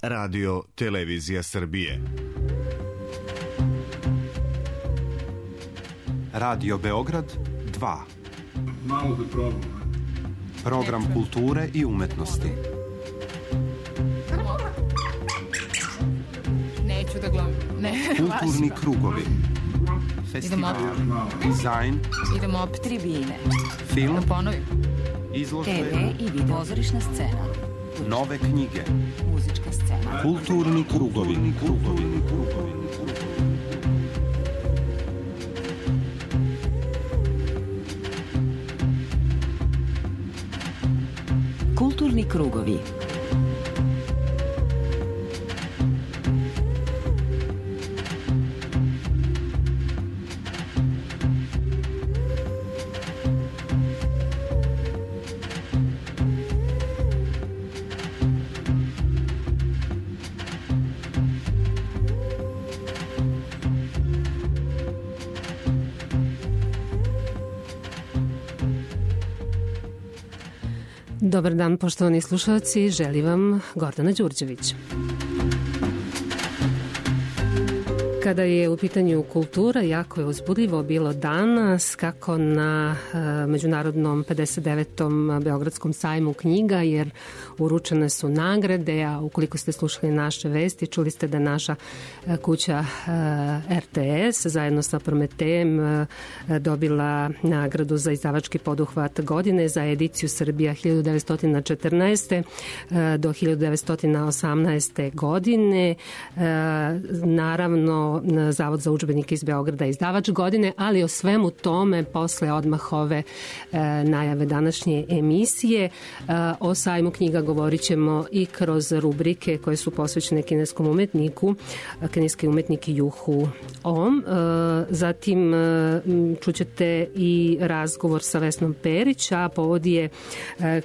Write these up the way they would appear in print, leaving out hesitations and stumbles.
Radio Televizija Srbije. Radio Beograd 2. Malo da probam. Program kulture i umetnosti. Neću da gledam. Kulturni krugovi. Festival, dizajn. Idemo opet tribine. Film. Da ponovim. Izložbe. TV i video. Pozorišna scena. Nove knjige. Muzička scena. Kulturni krugovi. Kulturni krugovi. Dobar dan, poštovani slušalci, želim vam Gordana Đurđević. Kada je u pitanju kultura, jako je uzbudljivo bilo danas kako na međunarodnom 59. Beogradskom sajmu knjiga, jer uručene su nagrade, a ukoliko ste slušali naše vesti, čuli ste da naša kuća RTS zajedno sa Prometejem dobila nagradu za izdavački poduhvat godine za ediciju Srbija 1914. do 1918. godine. Naravno, Zavod za udžbenike iz Beograda izdavač godine, ali o svemu tome posle odmah ove najave današnje emisije. O sajmu knjiga govorit ćemo i kroz rubrike koje su posvećene kineskom umetniku, kineski umetnik Juhu Om. Zatim čućete i razgovor sa Vesnom Perić, a povod je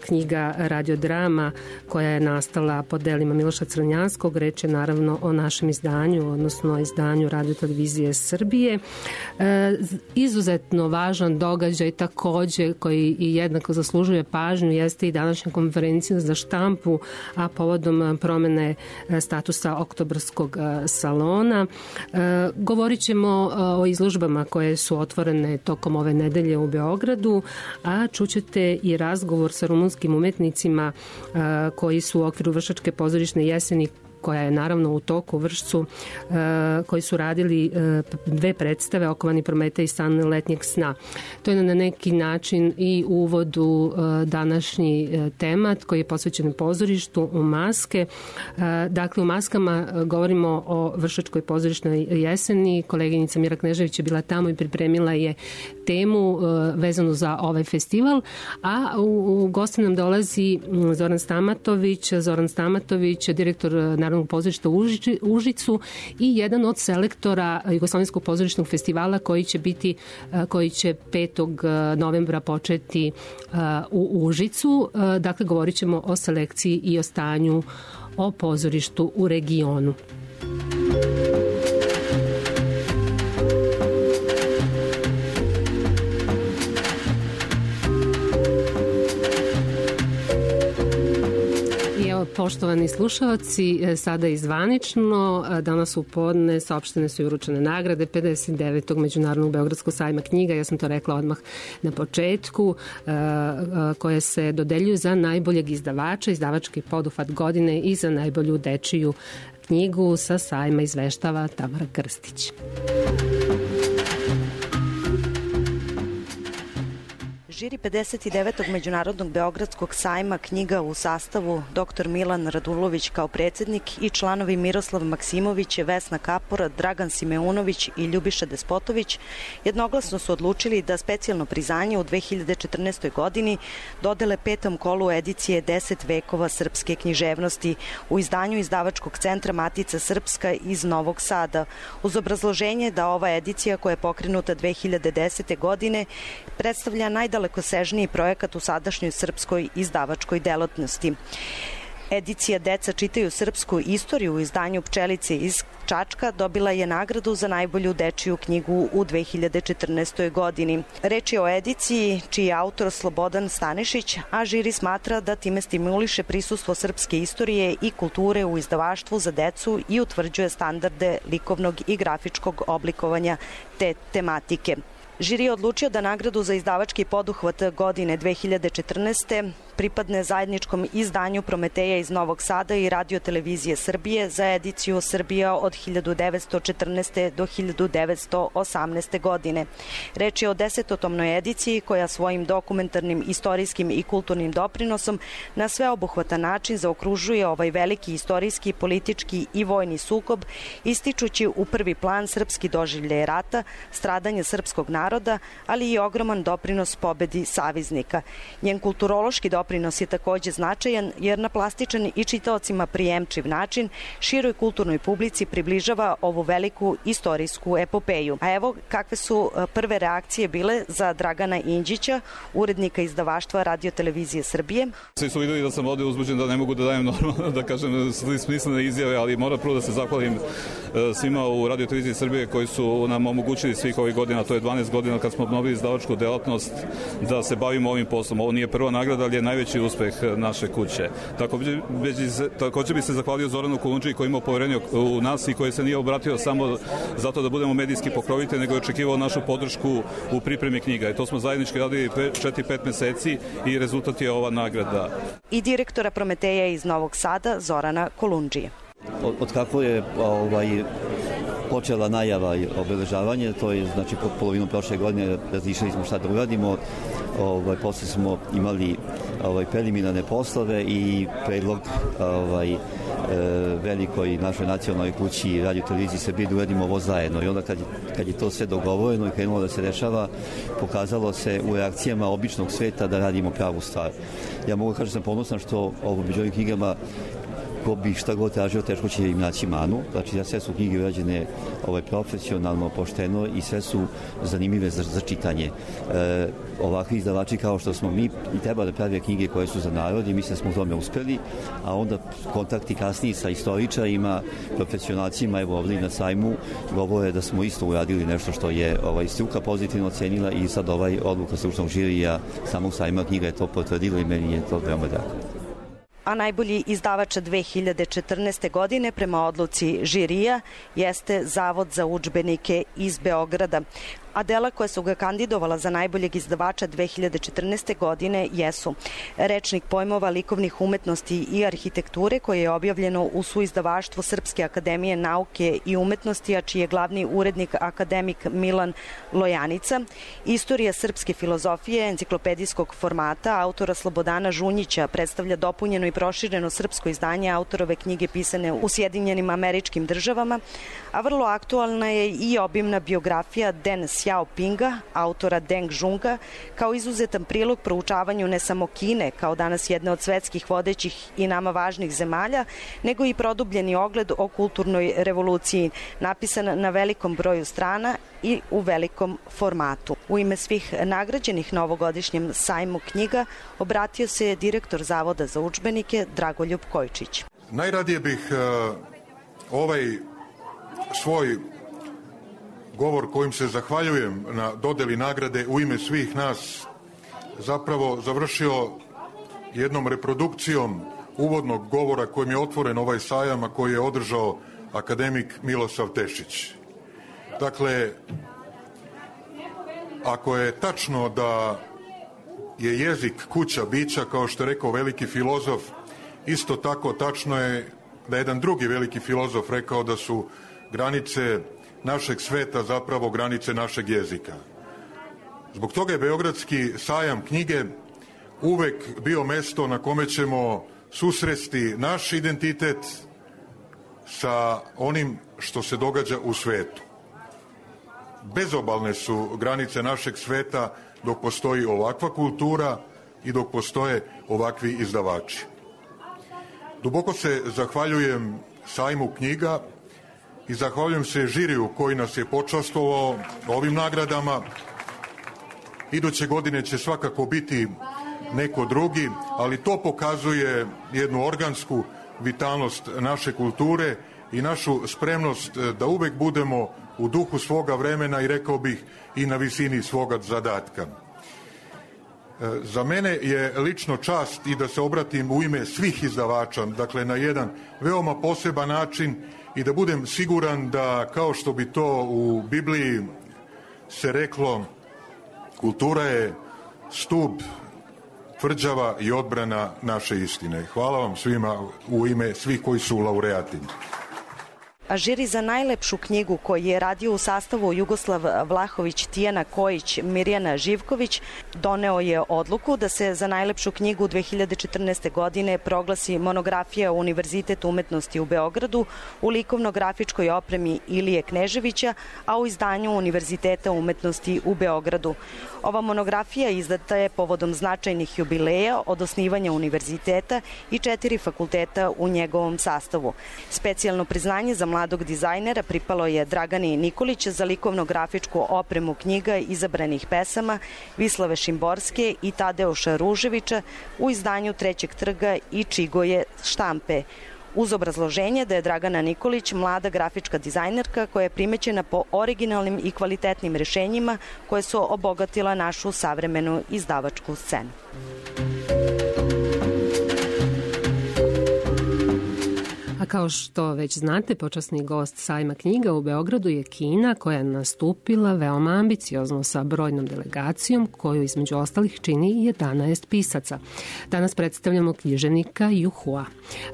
knjiga radiodrama koja je nastala pod delima Miloša Crnjanskog. Reč je naravno o našem izdanju, odnosno izdanju Radio Televizije Srbije. Izuzetno važan događaj takođe koji i jednako zaslužuje pažnju jeste i današnja konferencija za štampu, a povodom promene statusa Oktobarskog salona. Govorit ćemo o izložbama koje su otvorene tokom ove nedelje u Beogradu, a čućete i razgovor sa rumunskim umetnicima koji su u okviru Vršačke pozorišne jeseni, koja je naravno u toku u Vršcu, koji su radili dve predstave, Okovani Prometej i San letnjeg sna. To je na neki način i uvod u današnji temat koji je posvećen pozorištu u maske. Dakle, u maskama govorimo o Vršačkoj pozorišnoj jeseni. Koleginica Mira Knežević je bila tamo i pripremila je temu vezanu za ovaj festival, a u goste nam dolazi Zoran Stamatović, direktor Narodnog pozorišta u Užicu i jedan od selektora Jugoslovenskog pozorišnog festivala koji će 5. novembra početi u Užicu. Dakle, govorit ćemo o selekciji i o stanju o pozorištu u regionu. Poštovani slušalci, sada i zvanično, danas u podne saopštene su i uručene nagrade 59. Međunarodnog Beogradskog sajma knjiga, ja sam to rekla odmah na početku, koje se dodeljuju za najboljeg izdavača, izdavački poduhvat godine i za najbolju dečiju knjigu. Sa sajma izveštava Tamara Krstić. Žiri 59. Međunarodnog Beogradskog sajma knjiga u sastavu dr. Milan Radulović kao predsjednik i članovi Miroslav Maksimović, Vesna Kapor, Dragan Simeunović i Ljubiša Despotović jednoglasno su odlučili da specijalno priznanje u 2014. godini dodele 5. kolu edicije 10 vekova srpske književnosti u izdanju izdavačkog centra Matica Srpska iz Novog Sada, uz obrazloženje da ova edicija koja je pokrenuta 2010. godine predstavlja najdalekosežniji projekat u sadašnjoj srpskoj izdavačkoj delatnosti. Edicija Deca čitaju srpsku istoriju u izdanju Pčelice iz Čačka dobila je nagradu za najbolju dečiju knjigu u 2014. godini. Reč je o ediciji čiji je autor Slobodan Stanišić, a žiri smatra da time stimuliše prisustvo srpske istorije i kulture u izdavaštvu za decu i utvrđuje standarde likovnog i grafičkog oblikovanja te tematike. Žiri je odlučio da nagradu za izdavački poduhvat godine 2014. pripadne zajedničkom izdanju Prometeja iz Novog Sada i Radio televizije Srbije za ediciju Srbija od 1914. do 1918. godine. Reč je o 10-tomnoj ediciji koja svojim dokumentarnim, istorijskim i kulturnim doprinosom na sveobuhvatan način zaokružuje ovaj veliki istorijski, politički i vojni sukob, ističući u prvi plan srpski doživljaj rata, stradanje srpskog naroda, ali i ogroman doprinos pobedi saveznika. Njen kulturološki doprinos je takođe značajan jer na plastičan i čitaocima prijemčiv način široj kulturnoj publici približava ovu veliku istorijsku epopeju. A evo kakve su prve reakcije bile za Dragana Inđića, urednika izdavaštva Radio televizije Srbije. Svi su videli da sam ovde uzbuđen, da ne mogu da dajem normalno, da kažem, smislene izjave, ali moram prvo da se zahvalim svima u Radio televiziji Srbije koji su nam omogućili svih ovih godina, to je 12 godina kad smo obnovili izdavačku delatnost, da se bavimo ovim poslom. Ovo nije prva nagrada, ali je najveći uspeh naše kuće. Takođe bi se zahvalio Zoranu Kolundžiji koji ima poverenje u nas i koji se nije obratio samo zato da budemo medijski pokrovitelji, nego je očekivao našu podršku u pripremi knjiga. I to smo zajednički radili 4-5 meseci i rezultat je ova nagrada. I direktora Prometeja iz Novog Sada, Zorana Kolundžije. Od kako je počela najava i obeležavanje, to je znači po polovinu prošle godine razmišljali smo šta da uradimo, posle smo imali preliminarne poslove i predlog velikoj našoj nacionalnoj kući Radio televiziji Srbije da uradimo ovo zajedno. I onda kad je to sve dogovoreno i krenulo da se dešava, pokazalo se u reakcijama običnog sveta da radimo pravu stvar. Ja mogu kažem da sam ponosan što među ovim knjigama ko bi šta god tražio, teško će im naći manu. Znači, sve su knjige urađene profesionalno, pošteno i sve su zanimljive za čitanje. Ovakvi izdavači kao što smo mi i treba da prave knjige koje su za narod i mislim da smo u tome uspeli, a onda kontakti kasniji sa istoričarima, profesionalcima, evo ovdje na sajmu, govore da smo isto uradili nešto što je struka pozitivno ocenila i sad odluka stručnog žirija samog sajma knjiga je to potvrdila i meni je to veoma drago. A najbolji izdavač 2014. godine prema odluci žirija jeste Zavod za udžbenike iz Beograda. A dela koja su ga kandidovala za najboljeg izdavača 2014. godine jesu Rečnik pojmova likovnih umetnosti i arhitekture koje je objavljeno u suizdavaštvu Srpske akademije nauke i umetnosti, a čiji je glavni urednik akademik Milan Lojanica, Istorija srpske filozofije enciklopedijskog formata autora Slobodana Žunjića predstavlja dopunjeno i prošireno srpsko izdanje autorove knjige pisane u Sjedinjenim Američkim Državama, a vrlo aktualna je i obimna biografija Deng Xiaopinga, autora Deng Žunga, kao izuzetan prilog proučavanju ne samo Kine, kao danas jedne od svetskih vodećih i nama važnih zemalja, nego i produbljeni ogled o kulturnoj revoluciji, napisan na velikom broju strana i u velikom formatu. U ime svih nagrađenih na ovogodišnjem sajmu knjiga obratio se je direktor Zavoda za udžbenike Dragoljub Kojčić. Najradije bih ovaj svoj govor kojim se zahvaljujem na dodeli nagrade u ime svih nas zapravo završio jednom reprodukcijom uvodnog govora kojim je otvoren ovaj sajam, a koji je održao akademik Milosav Tešić. Dakle, ako je tačno da je jezik kuća bića, kao što je rekao veliki filozof, isto tako tačno je da je jedan drugi veliki filozof rekao da su granice našeg sveta zapravo granice našeg jezika. Zbog toga je Beogradski sajam knjige uvek bio mesto na kome ćemo susresti naš identitet sa onim što se događa u svetu. Bezobalne su granice našeg sveta dok postoji ovakva kultura i dok postoje ovakvi izdavači. Duboko se zahvaljujem sajmu knjiga i zahvaljujem se žiriju koji nas je počastvovao ovim nagradama. Iduće godine će svakako biti neko drugi, ali to pokazuje jednu organsku vitalnost naše kulture i našu spremnost da uvek budemo u duhu svoga vremena i rekao bih i na visini svoga zadatka. Za mene je lično čast i da se obratim u ime svih izdavača, dakle na jedan veoma poseban način i da budem siguran da, kao što bi to u Bibliji se reklo, kultura je stub, tvrđava i odbrana naše istine. Hvala vam svima u ime svih koji su laureati. A žiri za najlepšu knjigu koji je radio u sastavu Jugoslav Vlahović, Tijana Kojić, Mirjana Živković doneo je odluku da se za najlepšu knjigu 2014. godine proglasi monografija Univerzitet umetnosti u Beogradu u likovno-grafičkoj opremi Ilije Kneževića, a u izdanju Univerziteta umetnosti u Beogradu. Ova monografija izdata je povodom značajnih jubileja od osnivanja univerziteta i 4 fakulteta u njegovom sastavu. Specijalno priznanje za mladog dizajnera pripalo je Dragani Nikolić za likovno-grafičku opremu knjiga izabranih pesama, Vislave Šimborske i Tadeuša Ruževića u izdanju Trećeg trga i Čigoje štampe, uz obrazloženje da je Dragana Nikolić mlada grafička dizajnerka koja je primećena po originalnim i kvalitetnim rešenjima koje su obogatila našu savremenu izdavačku scenu. A kao što već znate, počasni gost sajma knjiga u Beogradu je Kina, koja je nastupila veoma ambiciozno sa brojnom delegacijom koju između ostalih čini 11 pisaca. Danas predstavljamo književnika Yu Hua.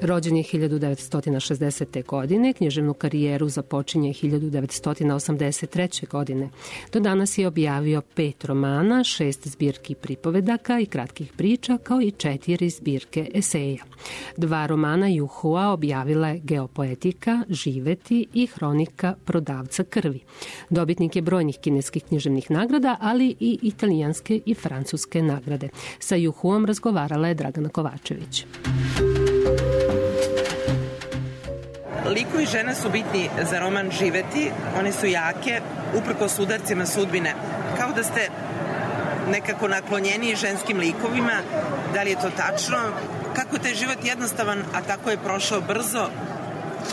Rođen je 1960. godine, književnu karijeru započinje 1983. godine. Do danas je objavio 5 romana, 6 zbirki pripovedaka i kratkih priča, kao i 4 zbirke eseja. 2 romana Yu Hua objavila je Geopoetika, Živeti i Hronika prodavca krvi. Dobitnik je brojnih kineskih književnih nagrada, ali i italijanske i francuske nagrade. Sa Yu Huom razgovarala je Dragana Kovačević. Likovi žena su bitni za roman Živeti. One su jake, uprkos udarcima sudbine. Kao da ste nekako naklonjeni ženskim likovima. Da li je to tačno? Kako je taj život jednostavan, a tako je prošao brzo?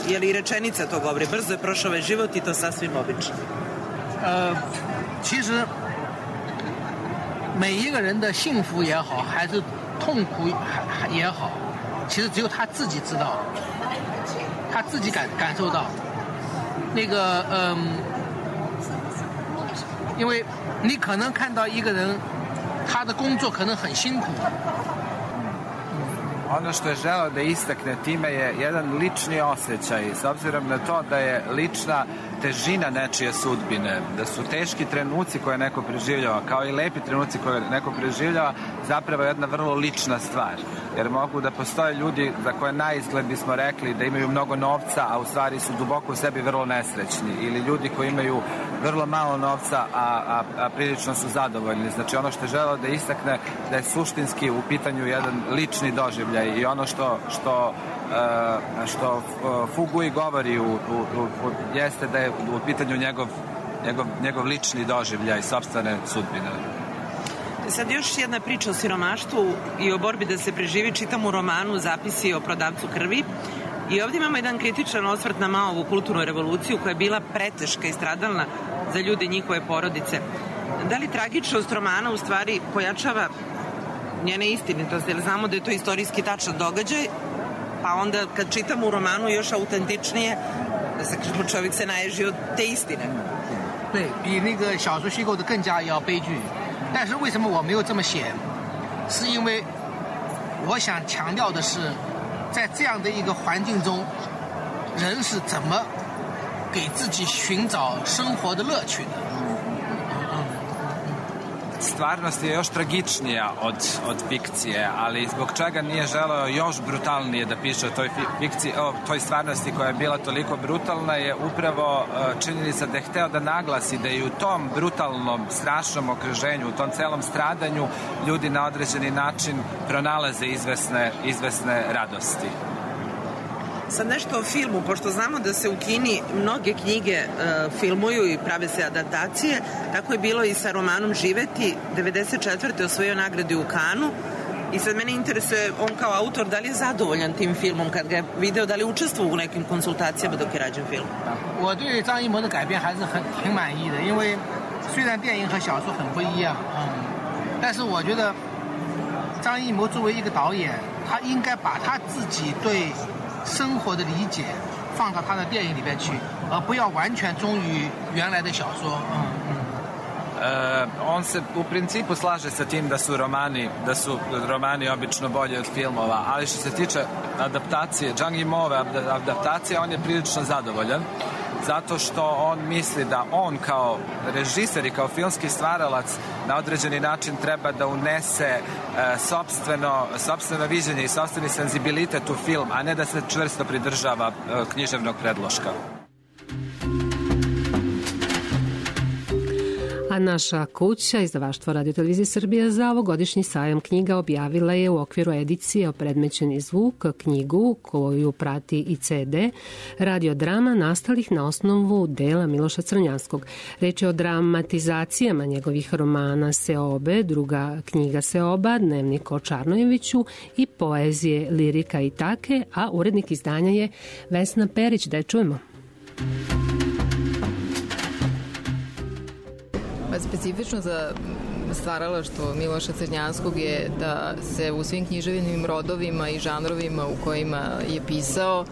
Je li rečenica to govori? Brzo je prošao ovaj život i to sasvim obično. 其实每一个人的幸福也好，还是痛苦也好，其实只有他自己知道，他自己感受到。那个因为你可能看到一个人，他的工作可能很辛苦。Ono što je želeo da istakne time je jedan lični osjećaj, s obzirom na to da je lična težina nečije sudbine, da su teški trenuci koje neko preživljava, kao i lepi trenuci koje neko preživljava, zapravo jedna vrlo lična stvar. Jer mogu da postoje ljudi za koje na izgled bismo rekli da imaju mnogo novca, a u stvari su duboko u sebi vrlo nesrećni. Ili ljudi koji imaju vrlo malo novca, a prilično su zadovoljni. Znači ono što je želeo da istakne da je suštinski u pitanju jedan lični doživljaj i ono što Fugui govori jeste da je u pitanju njegov lični doživljaj sopstvene sudbine. Sad još jedna priča o siromaštvu i o borbi da se preživi. Čitam u romanu Zapisi o prodavcu krvi i ovdje imamo jedan kritičan osvrt na Maovu kulturnu revoluciju koja je bila preteška i stradalna za ljude i njihove porodice. Da li tragičnost romana u stvari pojačava njene istinitosti, jer znamo da je to istorijski tačan događaj, pa onda kad čitamo u romanu još autentičnije, da se čovjek se naježi od te istine. 对，比那个小说虚构的更加要悲剧。但是为什么我没有这么写？是因为我想强调的是，在这样的一个环境中，人是怎么给自己寻找生活的乐趣的。Stvarnost je još tragičnija od fikcije, ali zbog čega nije želeo još brutalnije da piše o toj fikciji, o toj stvarnosti koja je bila toliko brutalna, je upravo činjenica da je hteo da naglasi da i u tom brutalnom, strašnom okruženju, u tom celom stradanju, ljudi na određeni način pronalaze izvesne radosti. Sad nešto o filmu, pošto znamo da se u Kini mnoge knjige filmuju i prave se adaptacije, tako je bilo i sa romanom Živeti. 94. osvojio nagradu u Kanu, I sad mene interesuje, on kao autor, da li je zadovoljan tim filmom kad ga je video, da li učestvovao u nekim konsultacijama dok je rađen film? 我对张艺谋的改编还是挺满意的，因为虽然电影和小说很不一样，但是我觉得张艺谋作为一个导演，他应该把他自己对生活的理解放到他的电影里边去，而不要完全忠于原来的小说。On se u principu slaže sa tim da su romani obično bolji od filmova, ali što se tiče adaptacije, Zhang Yimouove adaptacije, on je prilično zadovoljan, zato što on misli da on kao režiser i kao filmski stvaralac na određeni način treba da unese sopstveno viđenje i sopstveni senzibilitet u film, a ne da se čvrsto pridržava književnog predloška. A naša kuća, izdavaštvo Radio Televizije Srbije, za ovogodišnji sajam knjiga objavila je u okviru edicije Opredmećeni zvuk knjigu koju prati i CD radiodrama nastalih na osnovu dela Miloša Crnjanskog. Reč je o dramatizacijama njegovih romana Seobe, druga knjiga Seoba, Dnevnik o Čarnojeviću i poezije Lirika i take, a urednik izdanja je Vesna Perić. Da je čujemo. Specifično za stvaralaštvo Miloša Crnjanskog je da se u svim književnim rodovima i žanrovima u kojima je pisao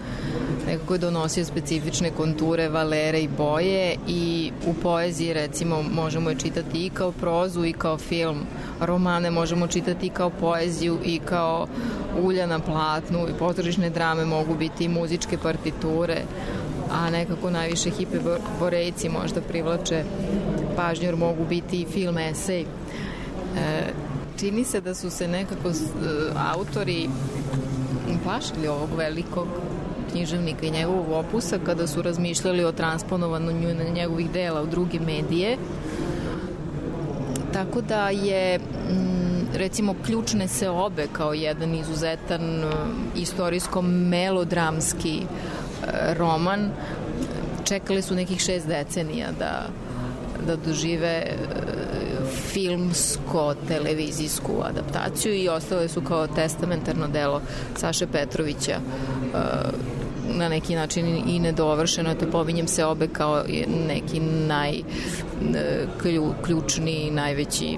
nekako je donosio specifične konture, valere i boje, i u poeziji recimo možemo je čitati i kao prozu i kao film. Romane možemo čitati i kao poeziju i kao ulja na platnu, i pozorišne drame mogu biti i muzičke partiture, a nekako najviše hiperborejci možda privlače pažnju jer mogu biti i film esej. Čini se da su se nekako autori plašili ovog velikog književnika i njegovog opusa kada su razmišljali o transponovanju njegovih dela u druge medije. Tako da je recimo Ključne seobe kao jedan izuzetan istorijsko-melodramski roman, čekali su nekih 6 decenija da dožive filmsko-televizijsku adaptaciju i ostale su kao testamentarno delo Saše Petrovića, na neki način i nedovršeno. Te pominjem Seobe kao neki najključniji, najveći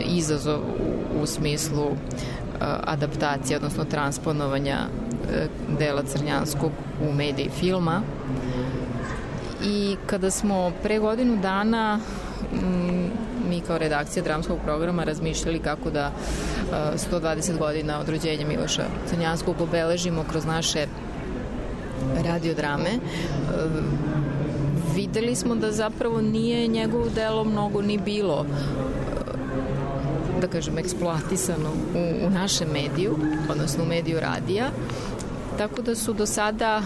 izazov u smislu adaptacije, odnosno transponovanja dela Crnjanskog u mediji filma. I kada smo pre godinu dana mi kao redakcija dramskog programa razmišljali kako da 120 godina od rođenja Miloša Crnjanskog obeležimo kroz naše radiodrame, videli smo da zapravo nije njegovo delo mnogo ni bilo, da kažem, eksploatisano u našem mediju, odnosno u mediju radija, tako da su do sada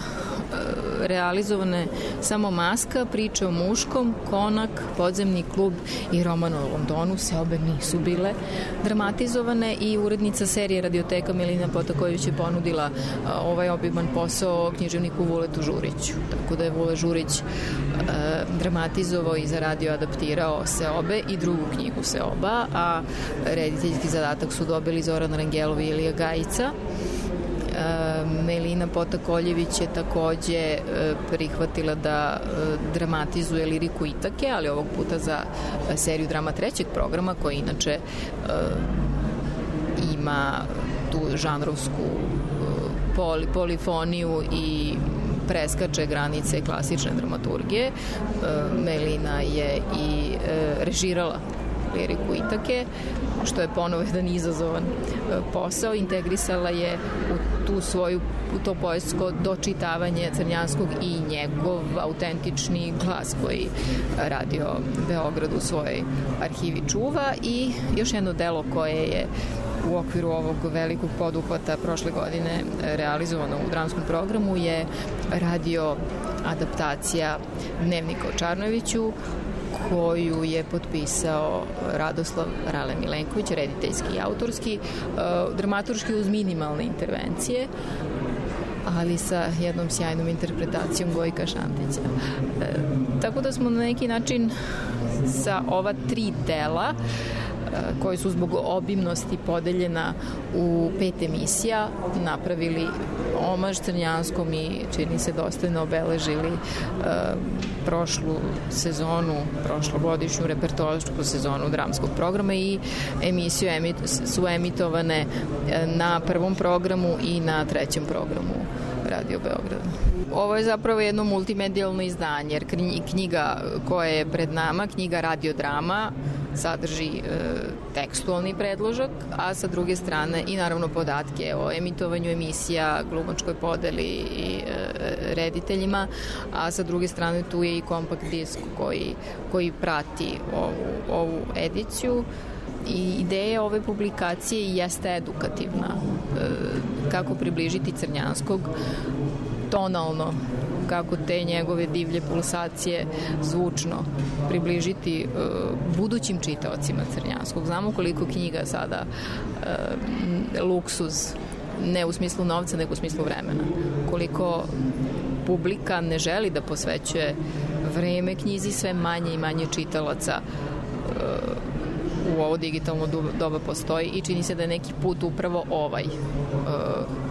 realizovane samo Maska, Priče o muškom, Konak, Podzemni klub i Roman o Londonu. Seobe nisu bile dramatizovane i urednica serije Radioteka Milina Potaković je ponudila ovaj obiman posao književniku Vuletu Žuriću. Tako da je Vule Žurić dramatizovao i za radio adaptirao Seobe i drugu knjigu Seoba, a rediteljski zadatak su dobili Zoran Rangelov i Ilija Gajica. Melina Potakoljević je takođe prihvatila da dramatizuje Liriku Itake, ali ovog puta za seriju drama trećeg programa, koja inače ima tu žanrovsku polifoniju i preskače granice klasične dramaturgije. Melina je i režirala Liriku Itake, što je ponovo jedan izazovan posao. Integrisala je u to poetsko dočitavanje Crnjanskog i njegov autentični glas koji Radio Beograd u svojoj arhivi čuva. I još jedno delo koje je u okviru ovog velikog poduhvata prošle godine realizovano u dramskom programu je radio adaptacija Dnevnika o Čarnojeviću, koju je potpisao Radoslav Rale Milenković, rediteljski i autorski, dramaturški uz minimalne intervencije, ali sa jednom sjajnom interpretacijom Gojka Šantića. Tako da smo na neki način sa ova 3 dela koji su zbog obimnosti podeljena u 5 emisija napravili omaž Crnjanskom i čini se dostojno obeležili prošlu sezonu, prošlogodišnju repertoarsku sezonu dramskog programa i emisije su emitovane na prvom programu i na trećem programu Radio Beograda. Ovo je zapravo jedno multimedijalno izdanje, jer knjiga koja je pred nama, knjiga radiodrama, sadrži tekstualni predložak, a sa druge strane i naravno podatke o emitovanju emisija, glumačkoj podeli i rediteljima, a sa druge strane tu je i kompakt disk koji prati ovu ediciju. I ideja ove publikacije jeste edukativna. Kako približiti Crnjanskog tonalno, kako te njegove divlje pulsacije zvučno približiti budućim čitaocima Crnjanskog. Znamo koliko knjiga sada luksuz, ne u smislu novca, nego u smislu vremena. Koliko publika ne želi da posvećuje vreme knjizi, sve manje i manje čitalaca u ovo digitalno doba postoji i čini se da je neki put upravo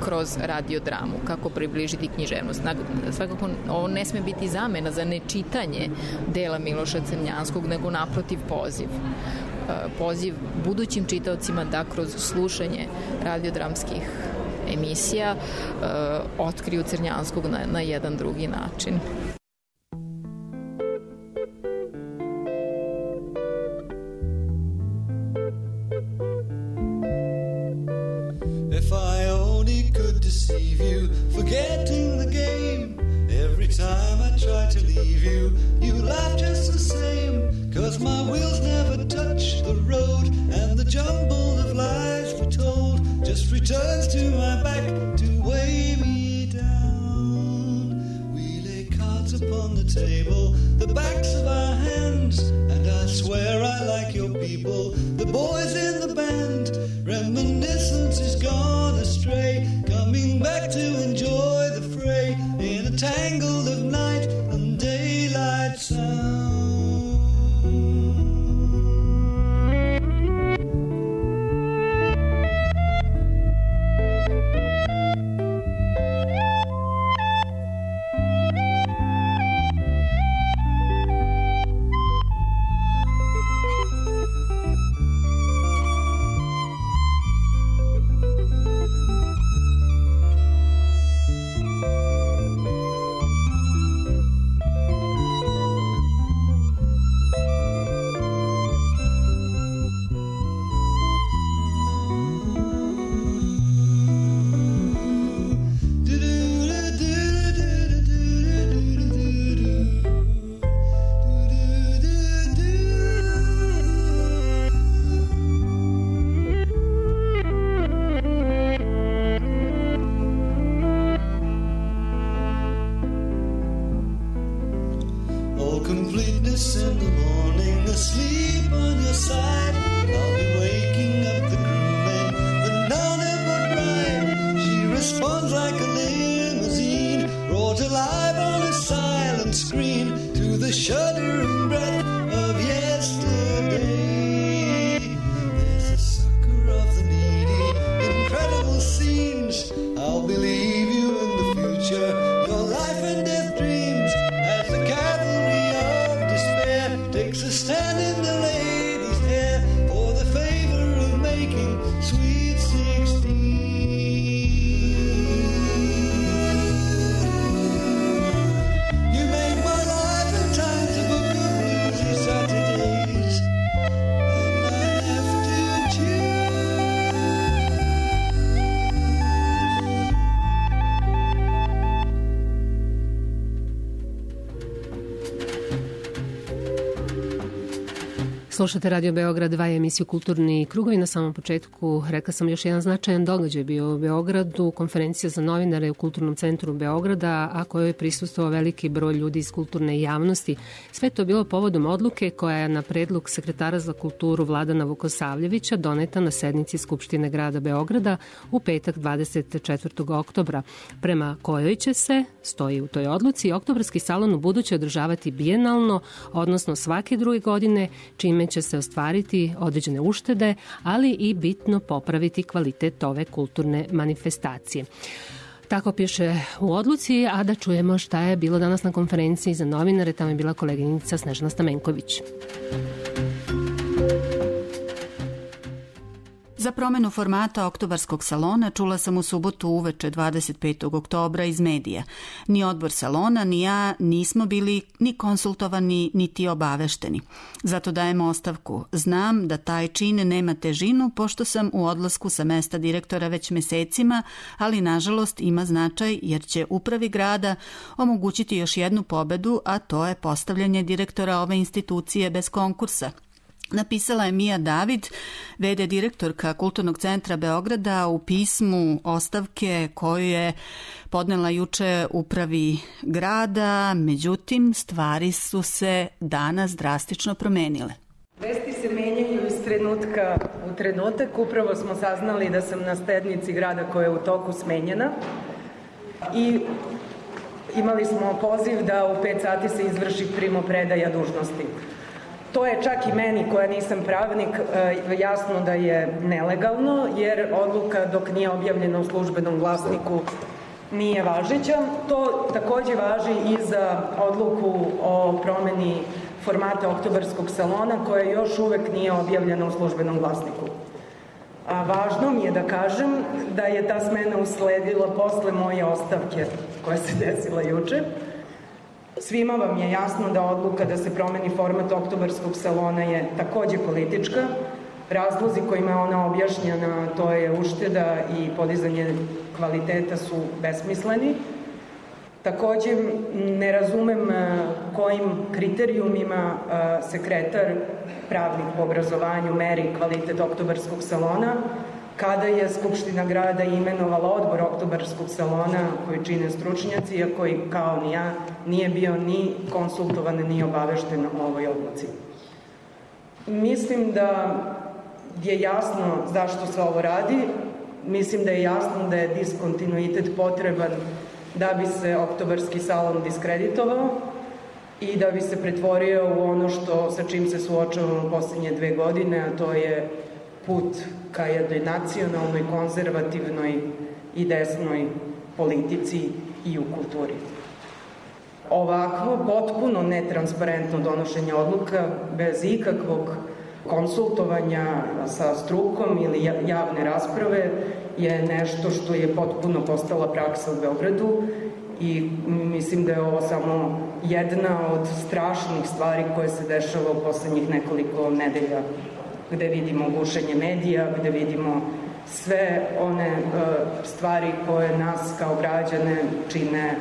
kroz radiodramu, kako približiti književnost. Svakako ovo ne sme biti zamena za nečitanje dela Miloša Crnjanskog, nego naprotiv poziv budućim čitaocima da kroz slušanje radiodramskih emisija otkriju Crnjanskog na jedan drugi način. If I only could deceive you, forgetting the game. Every time I try to leave you, you laugh just the same. 'Cause my wheels never touch the road, and the jumble of lies retold just returns to my back to weigh me down. We lay cards upon the table, the backs of our hands, and I swear I like your people, the boys in the band. Reminiscence is gone astray, coming back to enjoy the fray in a tangle of night and daylight sound. Completeness in the morning, asleep on your side. I'll be waking up the crewmen, but none of would ride. She responds like a limousine, brought alive on a silent screen to the shuddering breath of yesterday. There's a sucker of the needy, incredible scenes. I'll believe you in the future, your life and death dreams, as the cavalry takes a stand in the lady's hair for the favor of making sweet 16. You make my life and times a book of bluesy Saturdays, and I have to choose. Slušate Radio Beograd 2, emisiju Kulturni krugovi. Na samom početku rekla sam još jedan značajan događaj bio u Beogradu, konferencija za novinare u Kulturnom centru Beograda, a kojoj je prisustvovao veliki broj ljudi iz kulturne javnosti. Sve to bilo povodom odluke koja je na predlog sekretara za kulturu Vladana Vukosavljevića doneta na sednici Skupštine grada Beograda u petak 24. oktobra, prema kojoj će se, stoji u toj odluci, oktobarski salon u buduće održavati bijenalno, odnosno svake druge godine, čime čime će se ostvariti određene uštede, ali i bitno popraviti kvalitet ove kulturne manifestacije. Tako piše u odluci, a da čujemo šta je bilo danas na konferenciji za novinare. Tamo je bila koleginica Snežana Stamenković. Za promenu formata Oktobarskog salona čula sam u subotu uveče 25. oktobra iz medija. Ni odbor salona, ni ja nismo bili ni konsultovani, niti obavešteni. Zato dajemo ostavku. Znam da taj čin nema težinu, pošto sam u odlasku sa mesta direktora već mesecima, ali nažalost ima značaj jer će upravi grada omogućiti još jednu pobedu, a to je postavljanje direktora ove institucije bez konkursa. Napisala je Mija David, v.d. direktorka Kulturnog centra Beograda, u pismu ostavke koju je podnela juče upravi grada. Međutim, stvari su se danas drastično promenile. Vesti se menjaju iz trenutka u trenutak. Upravo smo saznali da sam na sednici grada koja je u toku smenjena i imali smo poziv da u 5 sati se izvrši primopredaja dužnosti. To je čak i meni, koja nisam pravnik, jasno da je nelegalno, jer odluka dok nije objavljena u službenom glasniku nije važeća. To takođe važi i za odluku o promeni formata Oktobarskog salona, koja još uvek nije objavljena u službenom glasniku. A važno mi je da kažem da je ta smena usledila posle moje ostavke koja se desila juče. Svima vam je jasno da odluka da se promeni format Oktobarskog salona je takođe politička. Razlozi kojima je ona objašnjena, to je ušteda i podizanje kvaliteta, su besmisleni. Takođe ne razumem kojim kriterijumima sekretar, pravnik po obrazovanju, meri kvalitet Oktobarskog salona, kada je Skupština grada imenovala odbor Oktobarskog salona koji čine stručnjaci, a koji kao ni ja nije bio ni konsultovan ni obavešten o ovoj odluci. Mislim da je jasno zašto se ovo radi. Mislim da je jasno da je diskontinuitet potreban da bi se Oktobarski salon diskreditovao i da bi se pretvorio u ono sa čim se suočavamo poslednje 2 godine, a to je put ka jednoj nacionalnoj, konzervativnoj i desnoj politici i u kulturi. Ovakvo potpuno netransparentno donošenje odluka bez ikakvog konsultovanja sa strukom ili javne rasprave je nešto što je potpuno postala praksa u Beogradu i mislim da je ovo samo jedna od strašnih stvari koje se dešava u poslednjih nekoliko nedelja, gde vidimo gušenje medija, gde vidimo sve one stvari koje nas kao građane čine,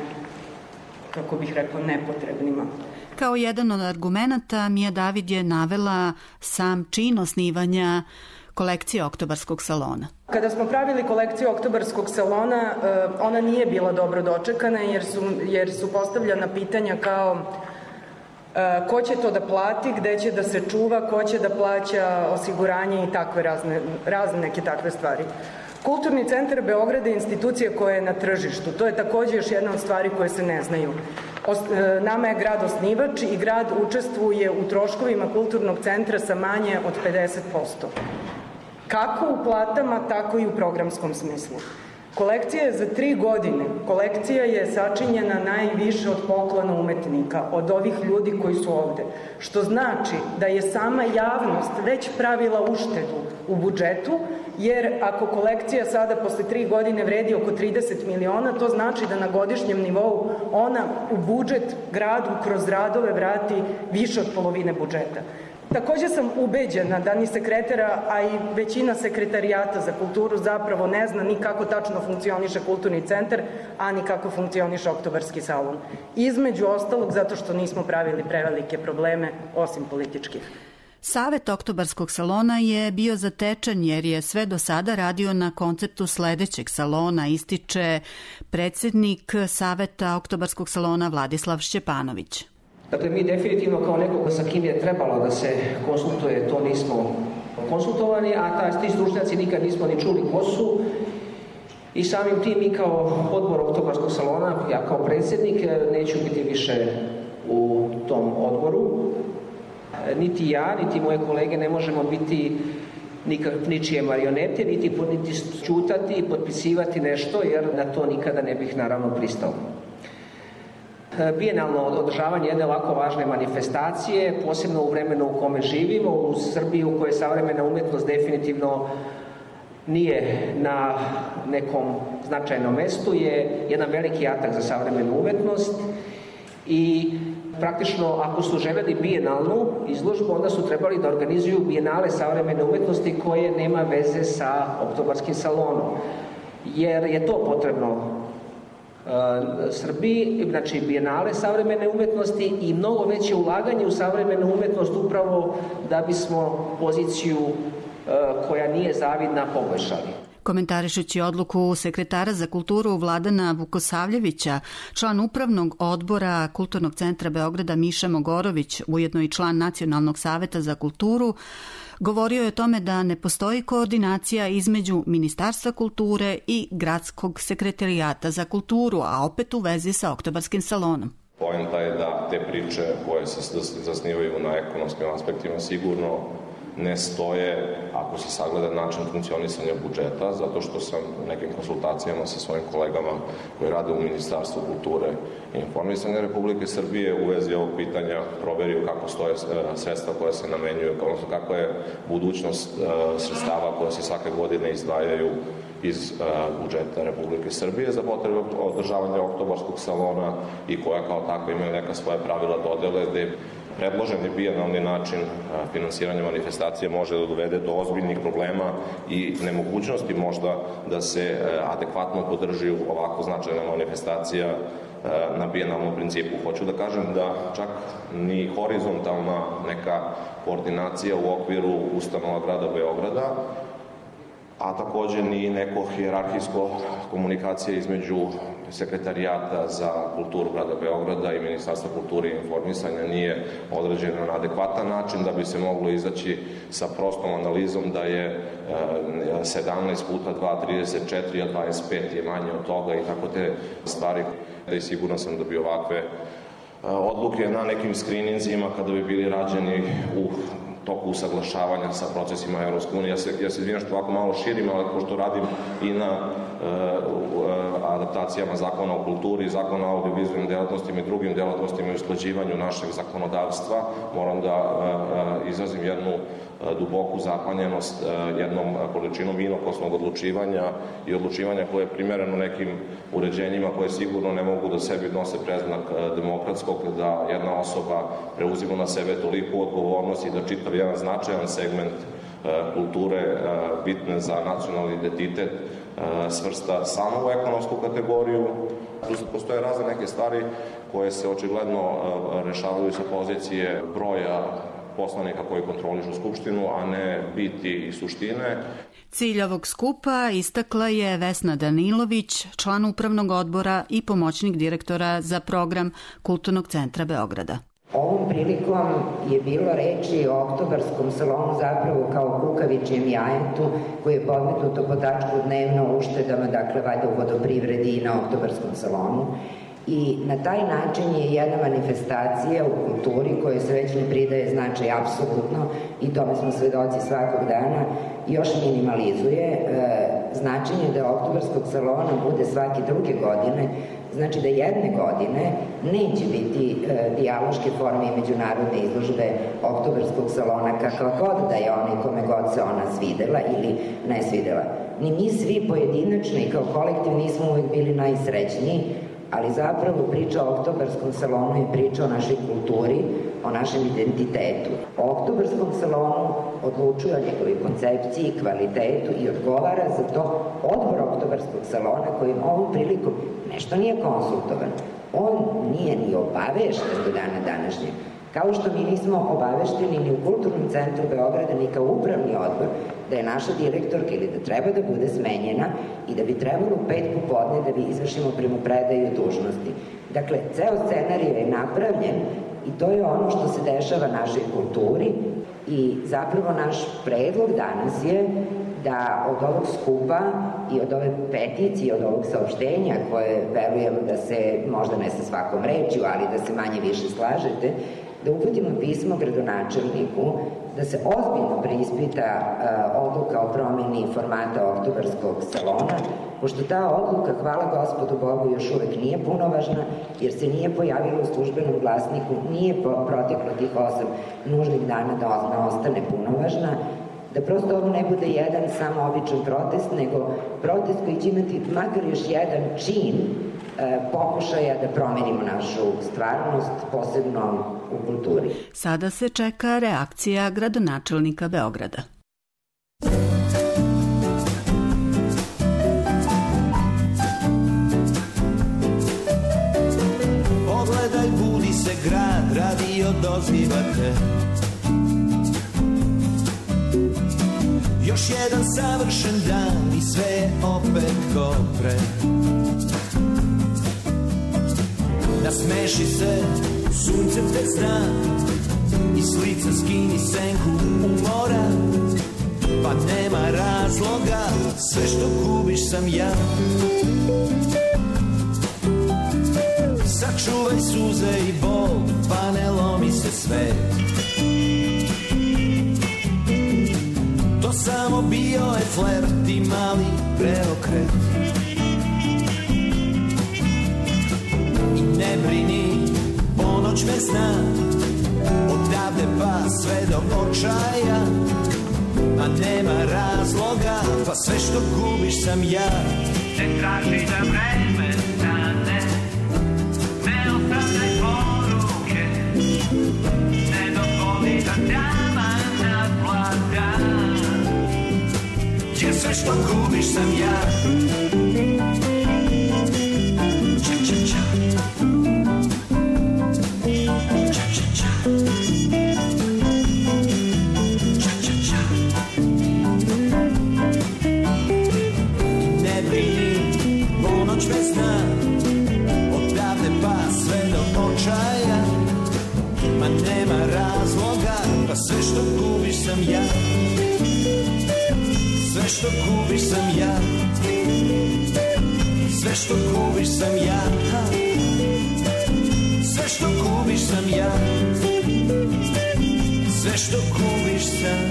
kako bih rekla, nepotrebnima. Kao jedan od argumenata Mija David je navela sam čin osnivanja kolekcije Oktobarskog salona. Kada smo pravili kolekciju Oktobarskog salona, ona nije bila dobro dočekana jer su postavljena pitanja kao ko će to da plati, gde će da se čuva, ko će da plaća osiguranje i takve razne neke takve stvari. Kulturni centar Beograda je institucija koja je na tržištu. To je takođe još jedna od stvari koje se ne znaju. Nama je grad osnivač i grad učestvuje u troškovima kulturnog centra sa manje od 50%. Kako u platama, tako i u programskom smislu. Kolekcija je za 3 godine. Kolekcija je sačinjena najviše od poklona umetnika, od ovih ljudi koji su ovde. Što znači da je sama javnost već pravila uštedu u budžetu, jer ako kolekcija sada posle 3 godine vredi oko 30 miliona, to znači da na godišnjem nivou ona u budžet gradu kroz radove vrati više od polovine budžeta. Takođe sam ubeđena da ni sekretara, a i većina sekretarijata za kulturu zapravo ne zna ni kako tačno funkcioniše kulturni centar, a ni kako funkcioniše Oktobarski salon. Između ostalog zato što nismo pravili prevelike probleme, osim političkih. Savet Oktobarskog salona je bio zatečen jer je sve do sada radio na konceptu sledećeg salona, ističe predsednik Saveta Oktobarskog salona Vladislav Šćepanović. Dakle, mi definitivno kao nekoga sa kim je trebalo da se konsultuje, to nismo konsultovani, a ti stručnjaci nikad nismo ni čuli ko su. I samim tim mi kao odbor Oktobarskog salona, ja kao predsjednik, neću biti više u tom odboru. Niti ja, niti moje kolege ne možemo biti ničije marionete, niti čutati i potpisivati nešto, jer na to nikada ne bih naravno pristao. Bijenalno održavanje jedne ovako važne manifestacije, posebno u vremenu u kome živimo, u Srbiji u kojoj savremena umetnost definitivno nije na nekom značajnom mestu, je jedan veliki atak za savremenu umetnost i praktično ako su želeli bijenalnu izložbu, onda su trebali da organizuju bijenale savremene umetnosti koje nema veze sa oktobarskim salonom, jer je to potrebno Srbiji, znači bijenale savremene umetnosti i mnogo veće ulaganje u savremenu umetnost upravo da bismo poziciju koja nije zavidna poboljšali. Komentarišući odluku sekretara za kulturu Vladana Vukosavljevića, član upravnog odbora Kulturnog centra Beograda Miša Mogorović, ujedno i član Nacionalnog saveta za kulturu, govorio je o tome da ne postoji koordinacija između Ministarstva kulture i Gradskog sekretarijata za kulturu, a opet u vezi sa oktobarskim salonom. Poenta je da te priče koje se zasnivaju na ekonomskim aspektima sigurno ne stoje ako se sagleda način funkcionisanja budžeta, zato što sam u nekim konsultacijama sa svojim kolegama koji rade u Ministarstvu kulture i informisanja Republike Srbije u vezi ovog pitanja proverio kako stoje sredstva koja se namenjuju, odnosno kako je budućnost sredstava koja se svake godine izdvajaju iz budžeta Republike Srbije za potrebe održavanja oktobarskog salona i koja kao takva imaju neka svoja pravila dodele gde predloženi bijenalni način finansiranja manifestacije može da dovede do ozbiljnih problema i nemogućnosti možda da se adekvatno podrži ovako značajna manifestacija na bijenalnom principu. Hoću da kažem da čak ni horizontalna neka koordinacija u okviru ustanova grada Beograda, a takođe ni neko hijerarhijsko komunikacija između Sekretarijata za kulturu grada Beograda i Ministarstva kulture i informisanja nije određeno na adekvatan način da bi se moglo izaći sa prostom analizom da je 17 puta 2, 34, a 25 je manje od toga i tako te stvari. I sigurno sam da bi ovakve odluke na nekim skrininzima kada bi bili rađeni u toku usaglašavanja sa procesima Evropske unije. Ja se izvinjam što ovako malo širim, ali pošto radim i na adaptacijama Zakona o kulturi, Zakona o audiovizualnim delatnostima i drugim delatnostima i usklađivanju našeg zakonodavstva, moram da izrazim jednu duboku zapanjenost jednom količinom inokosnog odlučivanja i odlučivanja koje je primereno nekim uređenjima koje sigurno ne mogu da sebi nose preznak demokratskog, da jedna osoba preuzima na sebe toliku odgovornost i da čitav jedan značajan segment kulture bitne za nacionalni identitet svrsta samo u ekonomsku kategoriju. Tu postoje razne neke stvari koje se očigledno rešavaju sa pozicije broja poslanika koji kontrolišu Skupštinu, a ne biti i suštine. Cilj ovog skupa istakla je Vesna Danilović, član upravnog odbora i pomoćnik direktora za program Kulturnog centra Beograda. Ovom prilikom je bilo reči o oktobarskom salonu zapravo kao kukavičijem jajetu koji je podmetnuto po tačku dnevno uštedama, dakle valjda u vodoprivredi i na oktobarskom salonu. I na taj način je jedna manifestacija u kulturi kojoj se već ne pridaje značaj apsolutno i tome smo svedoci svakog dana, još minimalizuje značenje da oktobarskog salona bude svake druge godine. Znači da jedne godine neće biti dijaloške forme i međunarodne izložbe oktobarskog salona kakav god da je onaj kome god se ona svidela ili ne svidela. Ni mi svi pojedinačno i kao kolektiv nismo uvek bili najsrećniji, ali zapravo priča o oktobarskom salonu je priča o našoj kulturi, o našem identitetu. O oktobarskom salonu odlučuje o njegovoj koncepciji, kvalitetu i odgovara za to odbor oktobarskog salona kojim ovom prilikom nešto nije konsultovan. On nije ni obavešten do dana današnjeg. Kao što mi nismo obavešteni ni u Kulturnom centru Beograda, ni kao upravni odbor, da je naša direktorka ili da treba da bude smenjena i da bi trebalo u 5 popodne da bi izvršimo primopredaju dužnosti. Dakle, ceo scenarij je napravljen i to je ono što se dešava našoj kulturi i zapravo naš predlog danas je da od ovog skupa i od ove peticije, od ovog saopštenja koje verujem da se možda ne sa svakom rečju, ali da se manje više slažete, da uputimo pismo gradonačelniku da se ozbiljno preispita odluka o promeni formata oktobarskog salona, pošto ta odluka, hvala Gospodu Bogu, još uvek nije punovažna, jer se nije pojavila u službenom glasniku, nije proteklo tih 8 nužnih dana da ostane punovažna, da prosto ovo ne bude jedan samo običan protest, nego protest koji će imati makar još jedan čin pokušaja da promenimo našu stvarnost, posebno u kulturi. Sada se čeka reakcija gradonačelnika Beograda. Pogledaj, budi se grad, radio dozivate. Još jedan savršen dan i sve je opet ko pre. Nasmeši se, sunce te zna, i s lica skini senku umora, pa nema razloga, sve što gubiš sam ja. Sačuvaj suze i bol, pa ne lomi se sve. To samo bio je flert i mali preokret. I ne brini, ponoć me zna, odavde pa sve do očaja. Ma nema razloga, pa sve što gubiš sam ja. Ne traži da vreme stane, ne ostavljaj poruke, ne dozvoli da dama naplata, jer sve što gubiš sam ja. Ma nema razloga, pa sve što gubiš sam ja. Sve što gubiš sam ja. Sve što gubiš sam ja. Sve što gubiš sam ja. Sve što gubiš sam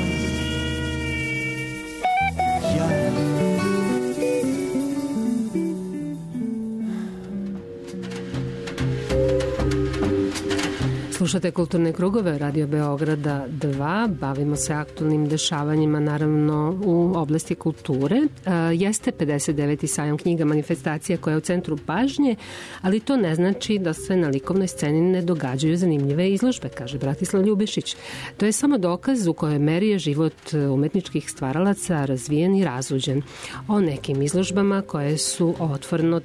ja. Slušate Kulturne krugove Radio Beograda 2, bavimo se aktualnim dešavanjima naravno u oblasti kulture. Jeste 59. sajam knjiga manifestacija koja je u centru pažnje, ali to ne znači da se na likovnoj sceni ne događaju zanimljive izložbe, kaže Bratislav Ljubišić. To je samo dokaz u kojoj meri je život umetničkih stvaralaca razvijen i razuđen. O nekim izložbama koje su otvorene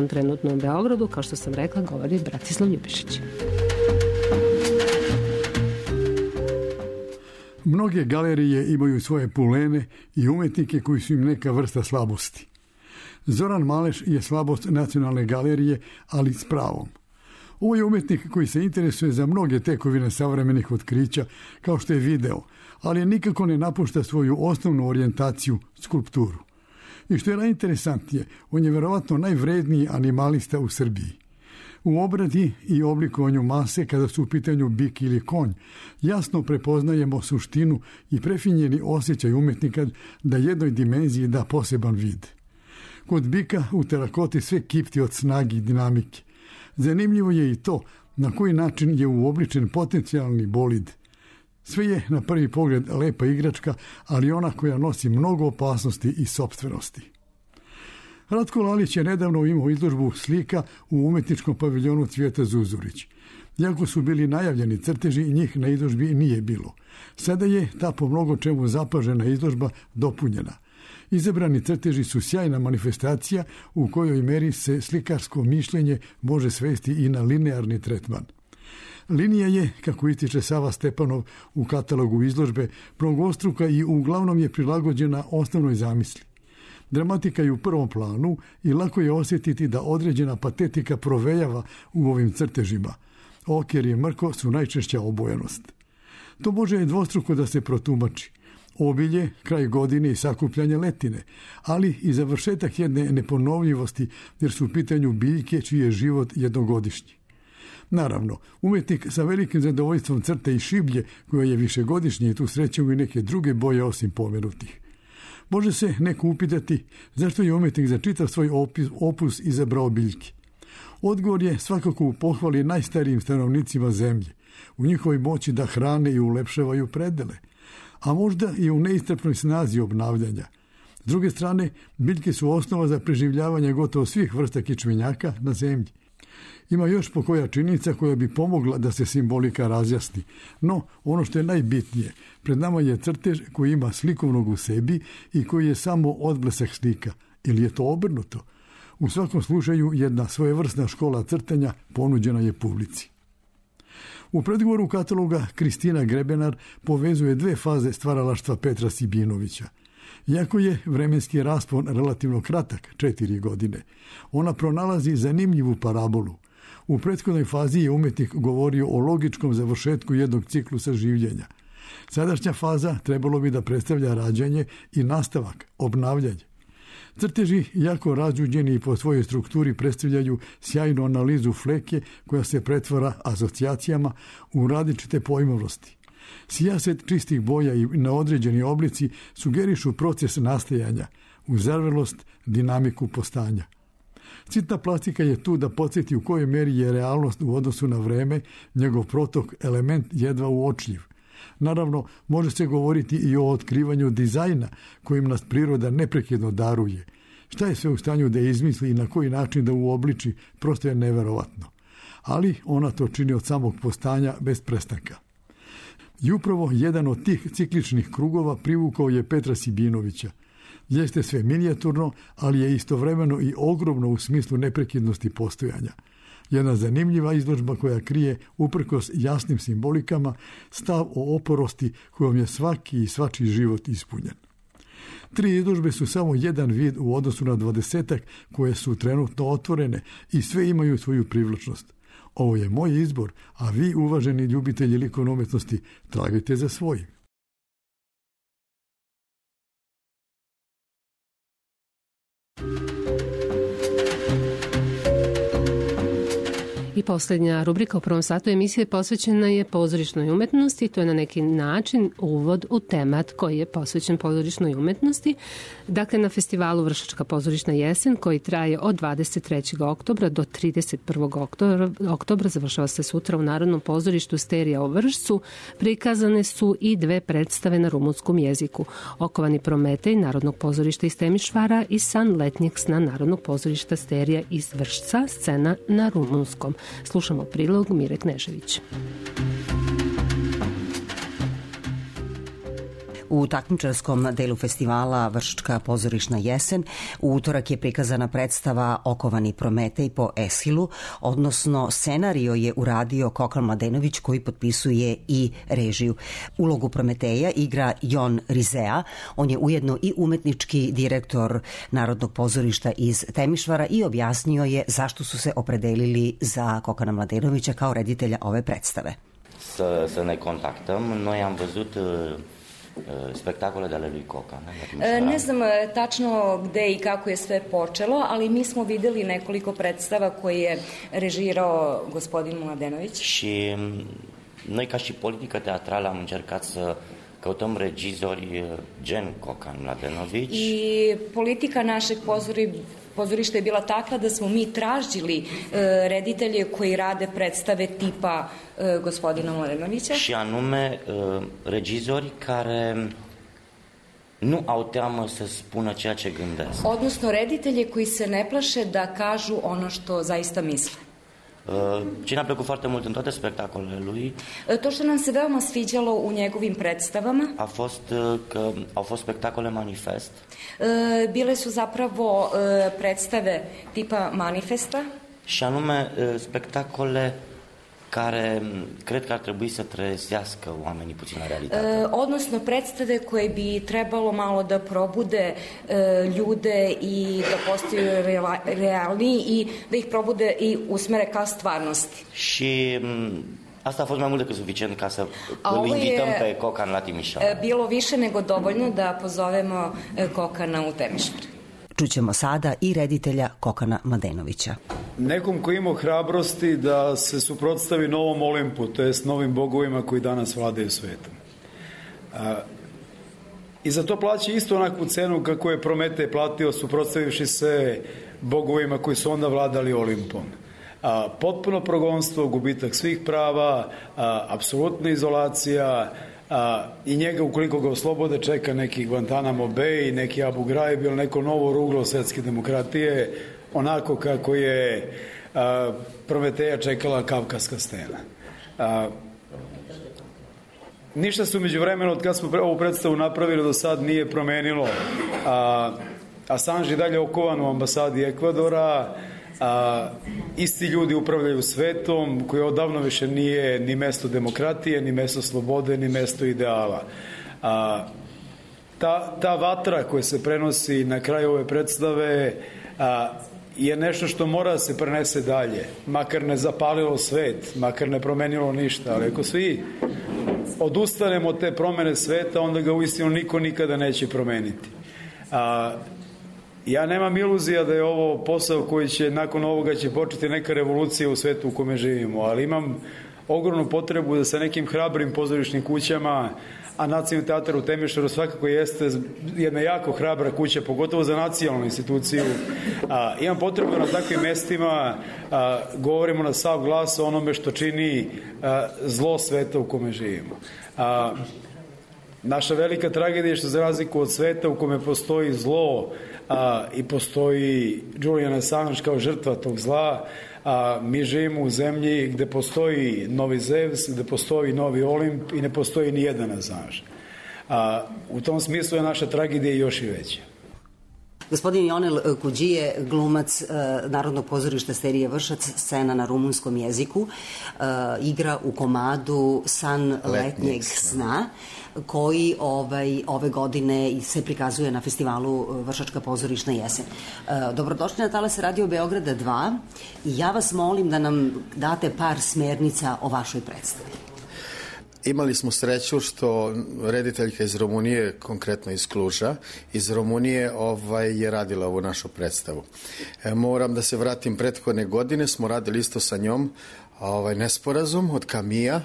trenutno u Beogradu, kao što sam rekla, govori Bratislav Ljubišić. Mnoge galerije imaju svoje pulene i umetnike koji su im neka vrsta slabosti. Zoran Maleš je slabost Nacionalne galerije, ali s pravom. Ovo je umetnik koji se interesuje za mnoge tekovine savremenih otkrića, kao što je video, ali nikako ne napušta svoju osnovnu orijentaciju, skulpturu. I što je najinteresantnije, on je verovatno najvredniji animalista u Srbiji. U obradi i oblikovanju mase, kada su u pitanju bik ili konj, jasno prepoznajemo suštinu i prefinjeni osjećaj umetnika da jednoj dimenziji da poseban vid. Kod bika u terakoti sve kipti od snage i dinamike. Zanimljivo je i to na koji način je uobličen potencijalni bolid. Sve je na prvi pogled lepa igračka, ali ona koja nosi mnogo opasnosti i sopstvenosti. Ratko Lalić je nedavno imao izložbu slika u umetničkom paviljonu Cvijeta Zuzurić. Iako su bili najavljeni crteži, njih na izložbi nije bilo. Sada je ta po mnogo čemu zapažena izložba dopunjena. Izabrani crteži su sjajna manifestacija u kojoj meri se slikarsko mišljenje može svesti i na linearni tretman. Linija je, kako ističe Sava Stepanov u katalogu izložbe, mnogostruka i uglavnom je prilagođena osnovnoj zamisli. Dramatika je u prvom planu i lako je osjetiti da određena patetika provejava u ovim crtežima. Oker i mrko su najčešća obojenost. To može dvostruko da se protumači. Obilje, kraj godine i sakupljanje letine, ali i završetak jedne neponovljivosti jer su u pitanju biljke čiji je život jednogodišnji. Naravno, umetnik sa velikim zadovoljstvom crta i šiblje, koja je višegodišnje i tu srećemo i neke druge boje osim pomenutih. Može se neko upitati zašto je umetnik za čitav svoj opus izabrao biljke. Odgovor je svakako u pohvali najstarijim stanovnicima zemlje, u njihovoj moći da hrane i ulepšavaju predele, a možda i u neistrpnoj snazi obnavljanja. S druge strane, biljke su osnova za preživljavanje gotovo svih vrsta kičmenjaka na zemlji. Ima još pokoja činjenica koja bi pomogla da se simbolika razjasni, no ono što je najbitnije, pred nama je crtež koji ima slikovnog u sebi i koji je samo odblesak slika, ili je to obrnuto. U svakom slučaju jedna svojevrsna škola crtanja ponuđena je publici. U predgovoru kataloga Kristina Grebenar povezuje dve faze stvaralaštva Petra Sibinovića. Iako je vremenski raspon relativno kratak, 4 godine, ona pronalazi zanimljivu parabolu. U prethodnoj fazi je umetnik govorio o logičkom završetku jednog ciklusa življenja. Sadašnja faza trebalo bi da predstavlja rađanje i nastavak, obnavljanje. Crteži, jako razđuđeni po svojoj strukturi, predstavljaju sjajnu analizu fleke koja se pretvara asocijacijama u različite pojmovnosti. Sijaset čistih boja i neodređeni oblici sugerišu proces nastajanja, uzarvelost, dinamiku postanja. Citna plastika je tu da podsjeti u kojoj meri je realnost u odnosu na vreme, njegov protok, element jedva uočljiv. Naravno, može se govoriti i o otkrivanju dizajna kojim nas priroda neprekidno daruje. Šta je sve u stanju da izmisli i na koji način da uobliči, prosto je neverovatno. Ali ona to čini od samog postanja bez prestanka. I upravo jedan od tih cikličnih krugova privukao je Petra Sibinovića. Jeste sve minijaturno, ali je istovremeno i ogromno u smislu neprekidnosti postojanja. Jedna zanimljiva izložba koja krije, uprkos jasnim simbolikama, stav o oporosti kojom je svaki i svačiji život ispunjen. 3 izložbe su samo jedan vid u odnosu na 20-ak koje su trenutno otvorene i sve imaju svoju privlačnost. Ovo je moj izbor, a vi, uvaženi ljubitelji likovne umetnosti, tragajte za svojim. I posljednja rubrika u prvom satu emisije posvećena je pozorišnoj umetnosti. To je na neki način uvod u temat koji je posvećen pozorišnoj umetnosti. Dakle, na festivalu Vršačka pozorišna jesen, koji traje od 23. oktobra do 31. oktobra, završava se sutra u Narodnom pozorištu Sterija u Vršcu, prikazane su i 2 predstave na rumunskom jeziku. Okovani Prometej Narodnog pozorišta iz Temišvara i San letnjeg sna Narodnog pozorišta Sterija iz Vršca, scena na rumunskom. Slušamo prilog Mire Knežević. U takmičarskom delu festivala Vršačka pozorišna jesen u utorak je prikazana predstava Okovani Prometej po Eshilu, odnosno scenario je uradio Kokan Mladenović koji potpisuje i režiju. Ulogu Prometeja igra Jon Rizea, on je ujedno i umetnički direktor Narodnog pozorišta iz Temišvara i objasnio je zašto su se opredelili za Kokana Mladenovića kao reditelja ove predstave. Să ne contactăm, noi am văzut spektakole de ale lui Cocan. Ne znam tačno gde i kako je sve počelo, ali mi smo videli nekoliko predstava koje je režirao gospodin Mladenović. Și noi ca și politică teatrală am încercat să căutăm regizori gen Cocan Mladenović. I politika našeg pozorišta je bila takva da smo mi tražili reditelje koji rade predstave tipa gospodina Mladenovića. Și anume regizori care nu au teamă să spună ceea ce gândesc. Odnosno reditelje koji se ne plaše da kažu ono što zaista misle. Ce ne-a plăcut foarte mult în toate spectacolele lui, to što nam se veoma sviđalo u njegovim predstavama, a fost că au fost spectacole manifest. Bile su zapravo predstave tipa manifesta. Și anume spectacole care cred că ar trebui să trezească oamenii puțin la realitate. Odnosno predstave koje bi trebalo malo da probude ljude i da postaju realniji i da ih probude i usmere ka stvarnosti. Și asta a fost mai mult decât suficient ca să îl invităm pe Cocan la Timișoara. Bilo više nego dovoljno da pozovemo Kokana u Temišvar. Čućemo sada i reditelja Kokana Mladenovića. nekom koji ima hrabrosti da se suprotstavi novom Olimpu, to jest novim bogovima koji danas vladaju svetom. I za to plaća isto onakvu cenu kako je Prometej platio suprotstavivši se bogovima koji su onda vladali Olimpom. Potpuno progonstvo, gubitak svih prava, apsolutna izolacija, i njega ukoliko ga oslobode čeka neki Guantanamo Bay, neki Abu Ghraib ili neko novo ruglo svetske demokratije, onako kako je Prometeja čekala Kavkaska stena. Ništa se umeđu vremenu od kada smo ovu predstavu napravili do sad nije promenilo. Assange je dalje okovan u ambasadi Ekvadora, isti ljudi upravljaju svetom koji odavno više nije ni mesto demokratije, ni mesto slobode, ni mesto ideala. Ta vatra koja se prenosi na kraju ove predstave je nešto što mora da se prenese dalje, makar ne zapalilo svet, makar ne promenilo ništa, ali ako svi odustanemo od te promene sveta, onda ga uistinu niko nikada neće promeniti. Ja nemam iluzija da je ovo posao koji će, nakon ovoga će početi neka revolucija u svetu u kome živimo, ali imam ogromnu potrebu da sa nekim hrabrim pozorišnim kućama, a Nacionalni teatar u Temišvaru svakako jeste jedna jako hrabra kuća, pogotovo za nacionalnu instituciju. Imam potrebu da na takvim mestima govorimo na sav glas o onome što čini zlo sveta u kome živimo. Naša velika tragedija je što za razliku od sveta u kome postoji zlo i postoji Julian Assange kao žrtva tog zla, mi živimo u zemlji gde postoji novi Zevs, gde postoji novi Olimp i ne postoji ni jedan Assange. U tom smislu je naša tragedija još i veća. Gospodin Ionel Kuđije, glumac Narodnog pozorišta serije Vršac, scena na rumunskom jeziku, igra u komadu San letnjeg sna, koji ove godine se prikazuje na festivalu Vršačka pozorišna jesen. Dobrodošli na talase Radio Beograda 2 i ja vas molim da nam date par smernica o vašoj predstavi. Imali smo sreću što rediteljka iz Rumunije, konkretno iz Kluža, iz Rumunije je radila ovu našu predstavu. Moram da se vratim, prethodne godine smo radili isto sa njom Nesporazum od Kamija,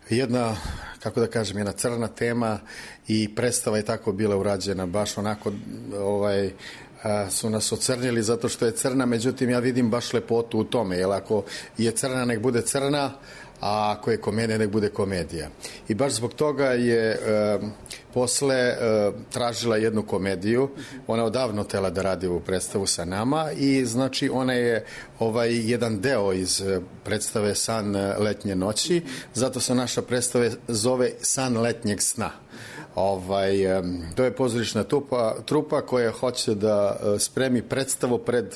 jedna, kako da kažem, jedna crna tema i predstava je tako bila urađena, baš onako su nas ocrnili zato što je crna, međutim ja vidim baš lepotu u tome, jer ako je crna nek bude crna, a ako je komedija nek bude komedija. I baš zbog toga je posle tražila jednu komediju, ona odavno htela da radi ovu predstavu sa nama i znači ona je jedan deo iz predstave San letnje noći, zato se naša predstava zove San letnjeg sna. To je pozorišna trupa koja hoće da spremi predstavu pred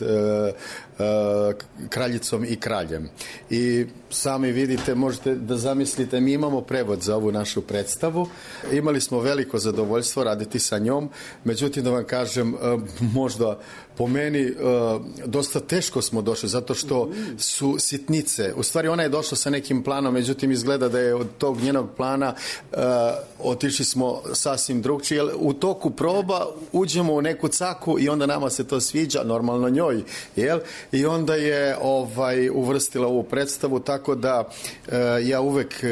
kraljicom i kraljem. I sami vidite, možete da zamislite, mi imamo prevod za ovu našu predstavu. Imali smo veliko zadovoljstvo raditi sa njom, međutim da vam kažem, možda po meni dosta teško smo došli, zato što su sitnice. U stvari ona je došla sa nekim planom, međutim izgleda da je od tog njenog plana otišli smo sasvim drugčije. U toku proba uđemo u neku caku i onda nama se to sviđa, normalno njoj, jel? I onda je uvrstila ovu predstavu, tako da ja uvek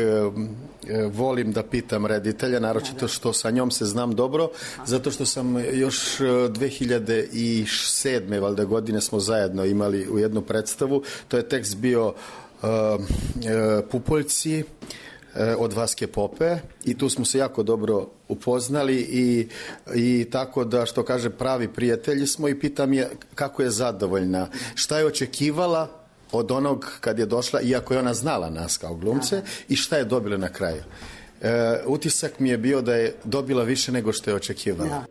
volim da pitam reditelja, naročito što sa njom se znam dobro, zato što sam još 2007. valjda godine smo zajedno imali u jednu predstavu, to je tekst bio Pupoljci od Vaske Pope i tu smo se jako dobro upoznali i tako da, što kaže, pravi prijatelji smo i pitam je kako je zadovoljna, šta je očekivala od onog kad je došla, iako je ona znala nas kao glumce, i šta je dobila na kraju. Utisak mi je bio da je dobila više nego što je očekivala.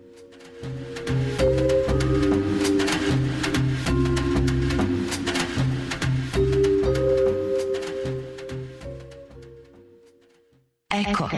Eko.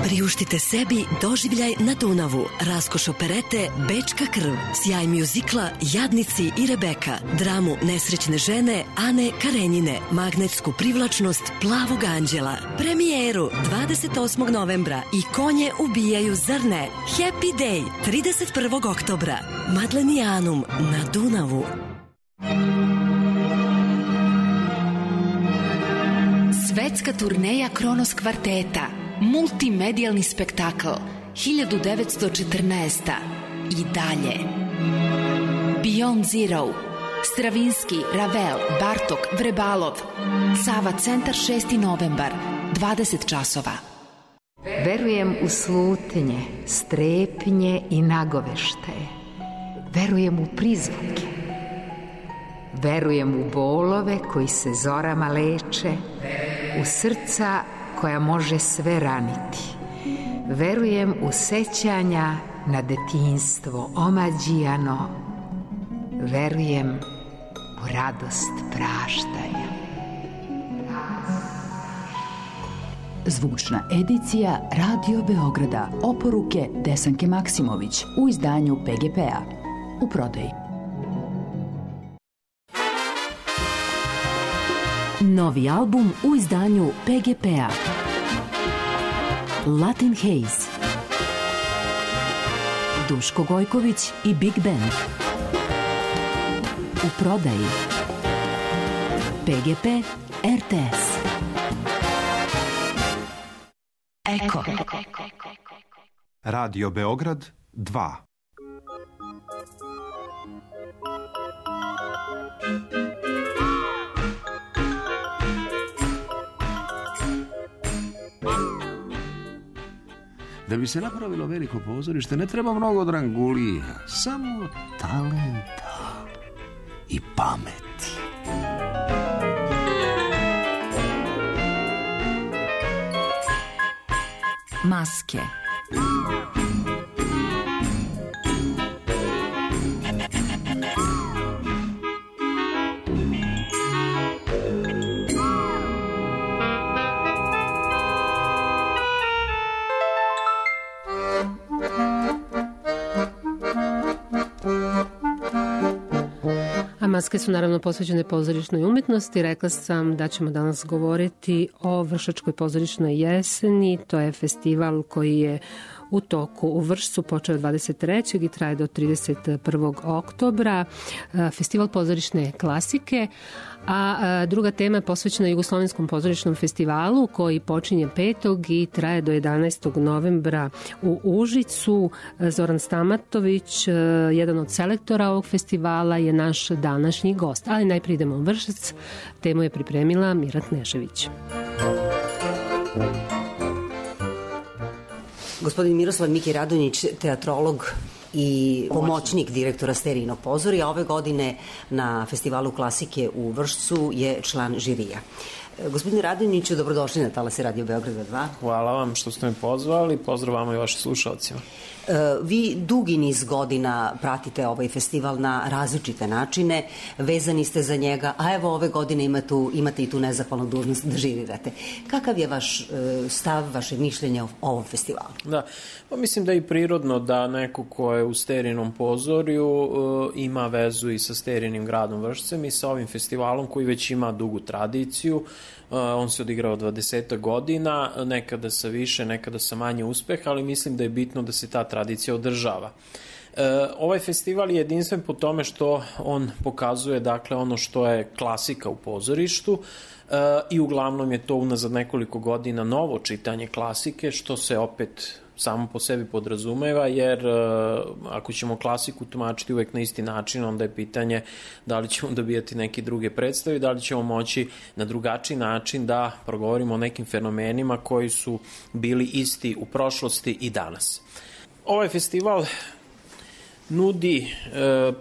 Priuštite sebi doživljaj na Dunavu, raskoš operete Bečka krv, sjaj mjuzikla Jadnici i Rebeka, dramu nesrećne žene Ane Karenjine, magnetsku privlačnost Plavog anđela, premijeru 28. novembra i Konje ubijaju zrne, Happy Day 31. oktobra, Madlenijanum na Dunavu. Svetska turneja Kronos kvarteta, multimedijalni spektakl, 1914. I dalje. Beyond Zero, Stravinski, Ravel, Bartok, Vrebalov, Sava centar 6. novembar, 20 časova. Verujem u slutnje, strepnje i nagoveštaje. Verujem u prizvuke. Verujem u bolove koji se zorama leče, u srca koja može sve raniti. Verujem u sećanja na detinjstvo omađijano. Verujem u radost praštaja. Zvučna edicija Radio Beograda, oporuke Desanke Maksimović u izdanju PGP-a. U prodaji. Novi album u izdanju PGP-a. Latin Haze. Duško Gojković i Big Band. U prodaji. PGP RTS. Eko. Radio Beograd 2. Da bi se napravilo veliko pozorište ne treba mnogo drangulija, samo talenta i pameti. Maske. Maske su naravno posvećene pozorišnoj umetnosti. Rekla sam da ćemo danas govoriti o Vršačkoj pozorišnoj jeseni. To je festival koji je u toku u Vršcu, počeo 23. i traje do 31. oktobra. Festival pozorišne klasike, a druga tema je posvećena Jugoslovenskom pozorišnom festivalu koji počinje 5. i traje do 11. novembra u Užicu. Zoran Stamatović, jedan od selektora ovog festivala, je naš današnji gost. Ali najprije idemo u Vršac. Temu je pripremila Mira Knežević. Gospodin Miroslav Miki Radonjić, teatrolog i pomoćnik direktora Sterijinog pozorija, ove godine na Festivalu klasike u Vršcu je član žirija. Gospodine Radonjiću, dobrodošli na Talase Radio Beograda 2. Hvala vam što ste me pozvali, pozdrav vama i vašim slušalcima. Vi dugi niz godina pratite ovaj festival na različite načine, vezani ste za njega, a evo ove godine imate i tu nezahvalnu dužnost da žirirate. Kakav je vaš stav, vaše mišljenje o ovom festivalu? Da, pa mislim da je i prirodno da neko ko je u Sterijinom pozorju ima vezu i sa Sterijinim gradom Vršcem i sa ovim festivalom koji već ima dugu tradiciju. On se odigrao 20 godina, nekada sa više, nekada sa manje uspeha, ali mislim da je bitno da se ta tradicija održava. Ovaj festival je jedinstven po tome što on pokazuje dakle ono što je klasika u pozorištu i uglavnom je to unazad nekoliko godina novo čitanje klasike, što se opet samo po sebi podrazumeva, jer ako ćemo klasiku tumačiti uvek na isti način, onda je pitanje da li ćemo dobijati neke druge predstave, da li ćemo moći na drugačiji način da progovorimo o nekim fenomenima koji su bili isti u prošlosti i danas. Ovaj festival nudi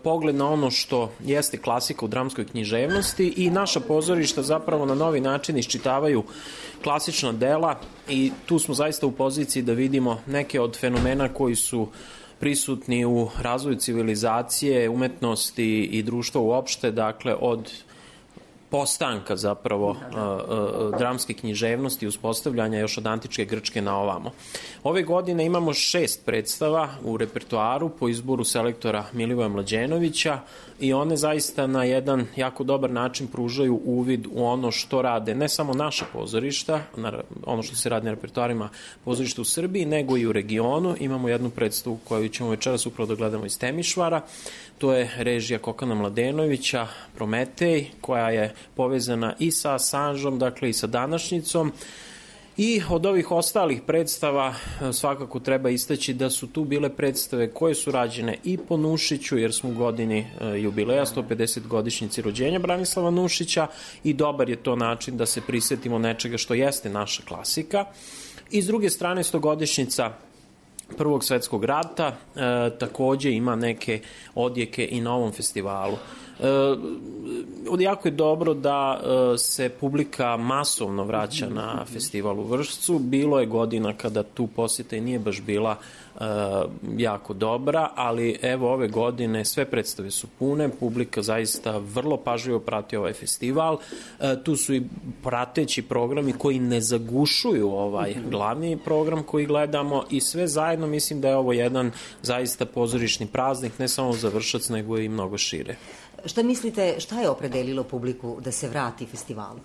pogled na ono što jeste klasika u dramskoj književnosti i naša pozorišta zapravo na novi način iščitavaju klasična dela i tu smo zaista u poziciji da vidimo neke od fenomena koji su prisutni u razvoju civilizacije, umetnosti i društva uopšte, dakle od postanka zapravo dramske književnosti, uspostavljanja još od antičke Grčke na ovamo. Ove godine imamo 6 predstava u repertoaru po izboru selektora Milivoja Mlađenovića i one zaista na jedan jako dobar način pružaju uvid u ono što rade ne samo naša pozorišta, ono što se radi na repertoarima pozorišta u Srbiji, nego i u regionu. Imamo jednu predstavu koju ćemo večeras upravo da gledamo iz Temišvara. To je režija Kokana Mladenovića, Prometej, koja je povezana i sa Sanžom, dakle i sa današnjicom. I od ovih ostalih predstava svakako treba istaći da su tu bile predstave koje su rađene i po Nušiću, jer smo u godini jubileja, 150 godišnjici rođenja Branislava Nušića, i dobar je to način da se prisetimo nečega što jeste naša klasika. I s druge strane, 100-godišnjica Prvog svetskog rata takođe ima neke odjeke i na ovom festivalu. Jako je dobro da se publika masovno vraća na festival u Vršcu. Bilo je godina kada tu posjeta i nije baš bila jako dobra, ali evo ove godine sve predstave su pune, publika zaista vrlo pažljivo prati ovaj festival. Tu su i prateći programi koji ne zagušuju ovaj glavni program koji gledamo i sve zajedno mislim da je ovo jedan zaista pozorišni praznik, ne samo za Vršac, nego i mnogo šire. Šta mislite, šta je opredelilo publiku da se vrati festivalu?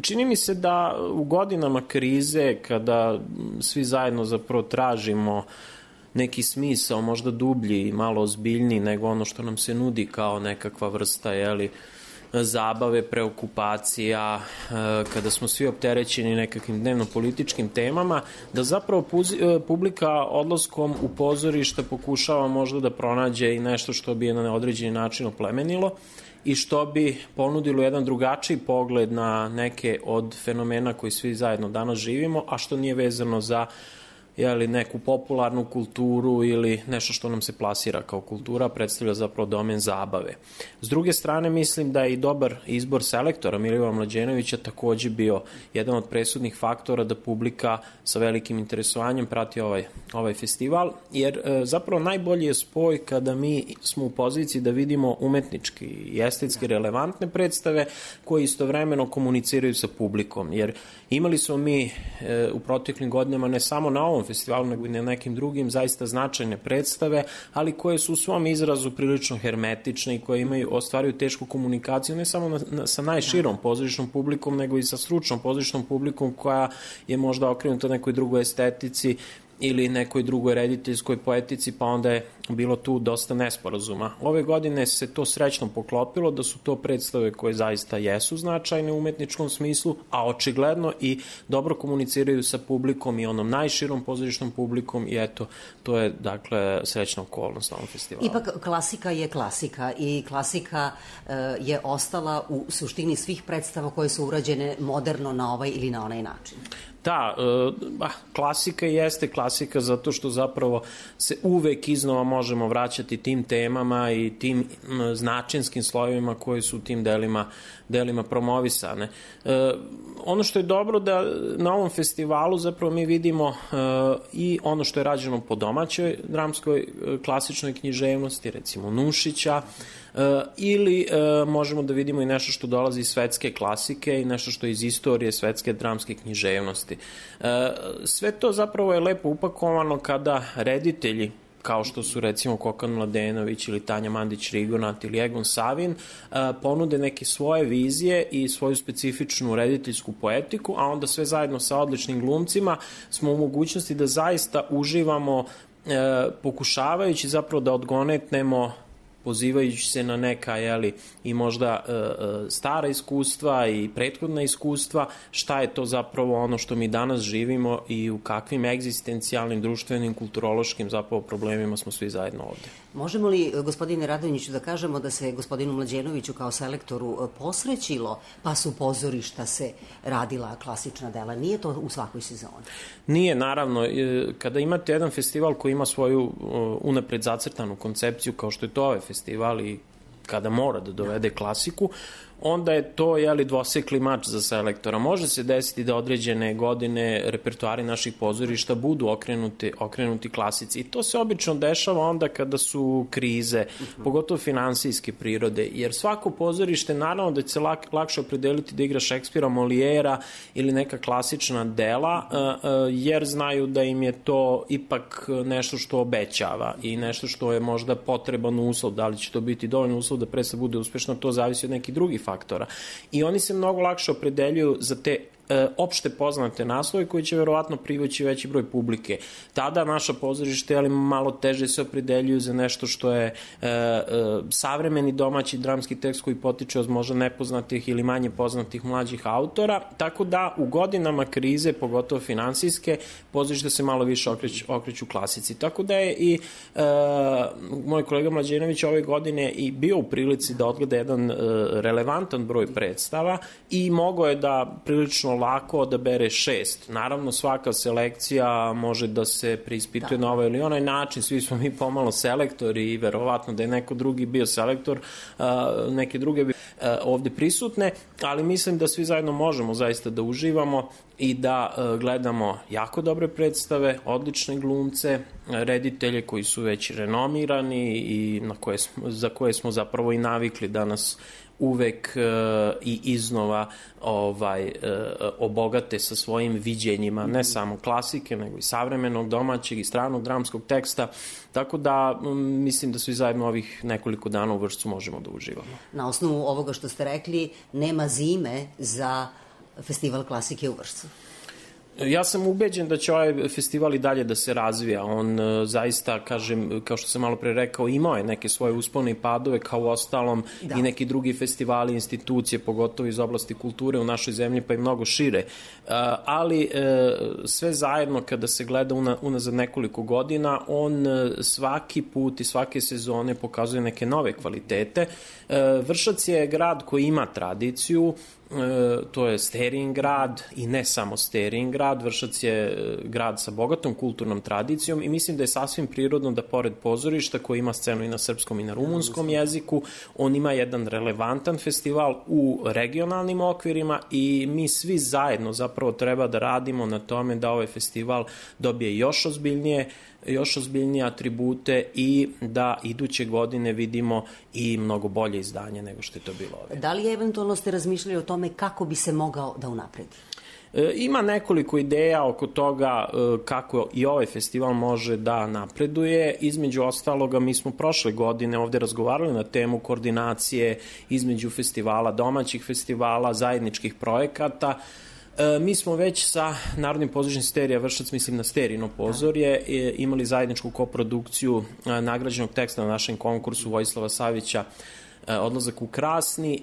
Čini mi se da u godinama krize, kada svi zajedno zapravo tražimo neki smisao, možda dublji i malo ozbiljniji nego ono što nam se nudi kao nekakva vrsta, zabave, preokupacija, kada smo svi opterećeni nekakvim dnevno-političkim temama, da zapravo publika odlaskom u pozorište pokušava možda da pronađe i nešto što bi je na određeni način oplemenilo i što bi ponudilo jedan drugačiji pogled na neke od fenomena koji svi zajedno danas živimo, a što nije vezano za neku popularnu kulturu ili nešto što nam se plasira kao kultura, predstavlja zapravo domen zabave. S druge strane, mislim da je i dobar izbor selektora Milivoja Mlađenovića takođe bio jedan od presudnih faktora da publika sa velikim interesovanjem prati ovaj festival, jer zapravo najbolji je spoj kada mi smo u poziciji da vidimo umetnički i estetski relevantne predstave koje istovremeno komuniciraju sa publikom, jer imali smo mi u proteklim godinama ne samo na ovom festivalu, nego i na nekim drugim zaista značajne predstave, ali koje su u svom izrazu prilično hermetične i koje ostvaruju tešku komunikaciju ne samo sa najširom pozorišnom publikom, nego i sa stručnom pozorišnom publikom koja je možda okrenuta nekoj drugoj estetici ili nekoj drugoj rediteljskoj poetici, pa onda je bilo tu dosta nesporazuma. Ove godine se to srećno poklopilo, da su to predstave koje zaista jesu značajne u umetničkom smislu, a očigledno i dobro komuniciraju sa publikom i onom najširom pozorišnom publikom i eto, to je dakle srećna okolnost na ovom festivalu. Ipak klasika je klasika i klasika je ostala u suštini svih predstava koje su urađene moderno na ovaj ili na onaj način. Da, klasika jeste klasika zato što zapravo se uvek iznova možemo vraćati tim temama i tim značinskim slojevima koji su u tim delima promovisane. Ono što je dobro da na ovom festivalu zapravo mi vidimo i ono što je rađeno po domaćoj dramskoj klasičnoj književnosti, recimo Nušića, ili možemo da vidimo i nešto što dolazi iz svetske klasike i nešto što je iz istorije svetske dramske književnosti. Sve to zapravo je lepo upakovano kada reditelji kao što su recimo Kokan Mladenović ili Tanja Mandić-Rigonat ili Egon Savin, ponude neke svoje vizije i svoju specifičnu rediteljsku poetiku, a onda sve zajedno sa odličnim glumcima smo u mogućnosti da zaista uživamo pokušavajući zapravo da odgonetnemo, pozivajući se na neka i možda stara iskustva i prethodna iskustva, šta je to zapravo ono što mi danas živimo i u kakvim egzistencijalnim, društvenim, kulturološkim zapravo problemima smo svi zajedno ovde. Možemo li, gospodine Radonjiću, da kažemo da se gospodinu Mlađenoviću kao selektoru posrećilo, pa su pozorišta se radila klasična dela? Nije to u svakoj sezoni? Nije, naravno. Kada imate jedan festival koji ima svoju unapred zacrtanu koncepciju, kao što je to ovaj festival i kada mora da dovede klasiku, onda je to dvosekli mač za selektora. Može se desiti da određene godine repertoari naših pozorišta budu okrenuti klasici i to se obično dešava onda kada su krize, pogotovo finansijske prirode, jer svako pozorište naravno da će se lakše opredeliti da igra Šekspira, Molijera ili neka klasična dela, jer znaju da im je to ipak nešto što obećava i nešto što je možda potreban uslov. Da li će to biti dovoljno uslov da predstava bude uspešna, to zavisi od nekih drugih faktora. I oni se mnogo lakše opredeljuju za te opšte poznate naslove koji će verovatno privući veći broj publike. Tada naša pozorište malo teže se opredeljuju za nešto što je savremeni domaći dramski tekst koji potiče od možda nepoznatih ili manje poznatih mlađih autora, tako da u godinama krize, pogotovo finansijske, pozorište se malo više okreću klasici. Tako da je i moj kolega Mlađenović ove godine i bio u prilici da odgleda jedan relevantan broj predstava i mogao je da prilično lako odabere 6. Naravno, svaka selekcija može da se preispituje na ovaj ili onaj način. Svi smo mi pomalo selektori i verovatno da je neko drugi bio selektor, neke druge bi ovde prisutne, ali mislim da svi zajedno možemo zaista da uživamo i da gledamo jako dobre predstave, odlične glumce, reditelje koji su već renomirani i za koje smo zapravo i navikli da nas uvek i iznova obogate sa svojim viđenjima, ne samo klasike, nego i savremenog, domaćeg i stranog dramskog teksta, tako da mislim da svi zajedno ovih nekoliko dana u Vršcu možemo da uživamo. Na osnovu ovoga što ste rekli, nema zime za festival klasike u Vršcu. Ja sam ubeđen da će ovaj festival i dalje da se razvija. On zaista, kažem, kao što sam malo pre rekao, imao je neke svoje uspone i padove, kao u ostalom i neki drugi festivali, institucije, pogotovo iz oblasti kulture u našoj zemlji, pa i mnogo šire. Ali sve zajedno, kada se gleda unazad nekoliko godina, on svaki put i svake sezone pokazuje neke nove kvalitete. Vršac je grad koji ima tradiciju, to je Sterijin grad i ne samo Sterijin grad. Vršac je grad sa bogatom kulturnom tradicijom i mislim da je sasvim prirodno da pored pozorišta koji ima scenu i na srpskom i na rumunskom jeziku, on ima jedan relevantan festival u regionalnim okvirima i mi svi zajedno zapravo treba da radimo na tome da ovaj festival dobije još ozbiljnije atribute i da iduće godine vidimo i mnogo bolje izdanje nego što je to bilo ove. Da li eventualno ste razmišljali o tome kako bi se mogao da unapredi? Ima nekoliko ideja oko toga kako i ovaj festival može da napreduje. Između ostaloga, mi smo prošle godine ovde razgovarali na temu koordinacije između festivala, domaćih festivala, zajedničkih projekata. Mi smo već sa Narodnim pozorištem Sterija Vršac, mislim na Sterijino pozorje, imali zajedničku koprodukciju nagrađenog teksta na našem konkursu Vojislava Savića Odlazak u Krasni.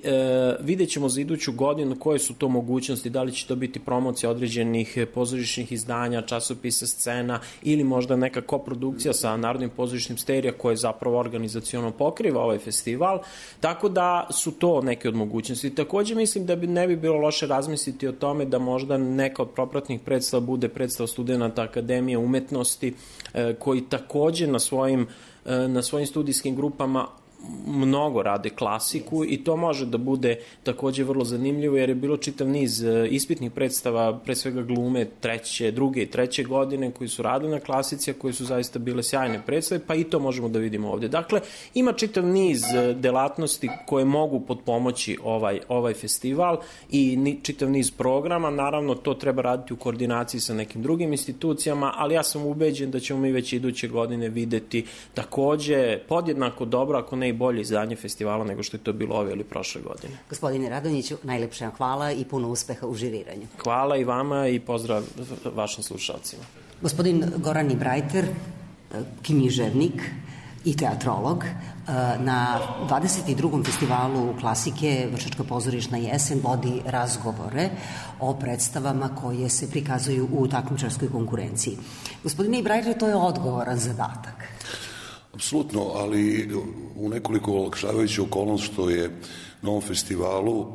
Vidjet ćemo za iduću godinu koje su to mogućnosti, da li će to biti promocija određenih pozorišnih izdanja, časopisa, scena ili možda neka koprodukcija sa Narodnim pozorištem Sterija koje zapravo organizaciono pokriva ovaj festival, tako da su to neke od mogućnosti. Takođe mislim da ne bi bilo loše razmisliti o tome da možda neka od propratnih predstava bude predstava studenta Akademije umetnosti koji takođe na svojim studijskim grupama mnogo rade klasiku i to može da bude takođe vrlo zanimljivo jer je bilo čitav niz ispitnih predstava, pre svega glume druge i treće godine koji su radili na klasici, a koji su zaista bile sjajne predstave, pa i to možemo da vidimo ovde. Dakle, ima čitav niz delatnosti koje mogu potpomoći ovaj festival i čitav niz programa. Naravno, to treba raditi u koordinaciji sa nekim drugim institucijama, ali ja sam ubeđen da ćemo mi već iduće godine videti takođe podjednako dobro, ako ne i bolje izdanje festivala nego što je to bilo ove ili prošle godine. Gospodine Radonjiću, najlepše vam hvala i puno uspeha u žiriranju. Hvala i vama i pozdrav vašim slušalcima. Gospodin Goran Ibrajter, književnik i teatrolog, na 22. festivalu klasike Vršačka pozorišna jesen vodi razgovore o predstavama koje se prikazuju u takmičarskoj konkurenciji. Gospodine Ibrajter, to je odgovoran zadatak. Apsolutno, ali u nekoliko olakšavajućih okolnost što je na ovom festivalu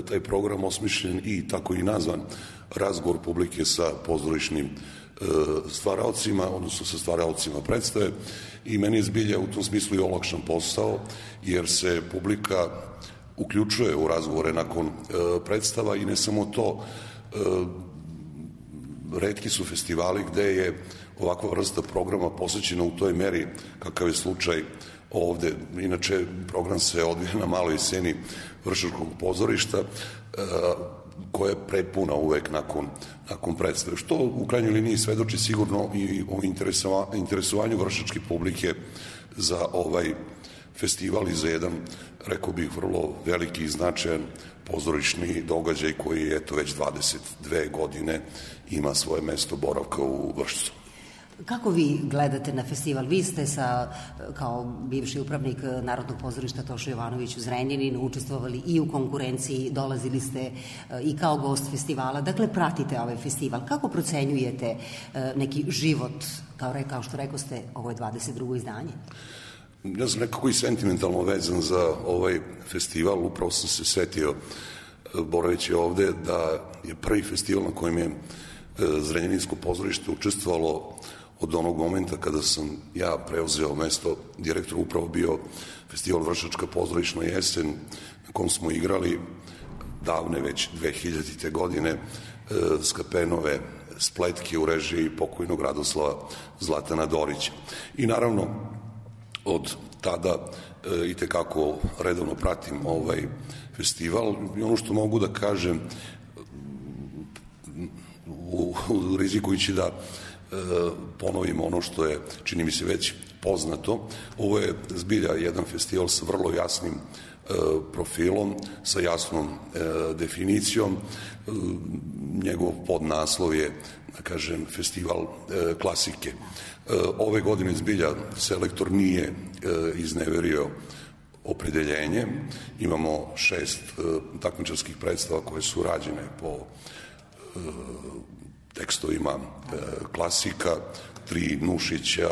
taj program osmišljen i tako i nazvan razgovor publike sa pozorišnim stvaraocima, odnosno sa stvaraocima predstave i meni je zbilja u tom smislu i olakšan posao jer se publika uključuje u razgovore nakon predstava i ne samo to, retki su festivali gde je ovakva vrsta programa posvećena u toj meri kakav je slučaj ovde. Inače, program se odvija na maloj sceni Vršačkog pozorišta koja je prepuna uvek nakon predstave, što u krajnjoj liniji svedoči sigurno i o interesovanju vršačke publike za ovaj festival i za jedan, rekao bih, vrlo veliki i značajan pozorišni događaj koji, eto, već 22 godine ima svoje mesto boravka u Vršcu. Kako vi gledate na festival? Vi ste kao bivši upravnik Narodnog pozorišta Toša Jovanović u Zrenjaninu učestvovali i u konkurenciji, dolazili ste i kao gost festivala, dakle pratite ovaj festival. Kako procenjujete neki život, kao što rekao ste, ovo je 22. izdanje? Ja sam nekako i sentimentalno vezan za ovaj festival, upravo sam se setio, boraveći ovde, da je prvi festival na kojem je Zrenjaninsko pozorište učestvovalo od onog momenta kada sam ja preuzeo mesto direktora, upravo bio festival Vršačka pozorišna jesen, na kom smo igrali davne već 2000. godine Skapenove spletke u režiji pokojnog Radoslava Zlatana Dorića. I naravno, od tada i tekako redovno pratim ovaj festival i ono što mogu da kažem, rizikujući da ponovim ono što je, čini mi se, već poznato, ovo je zbilja jedan festival sa vrlo jasnim profilom, sa jasnom definicijom. Njegov podnaslov je, da kažem, festival klasike. Ove godine zbilja selektor nije izneverio opredeljenje. Imamo 6 takmičarskih predstava koje su rađene po tekstovima klasika, 3 Nušića,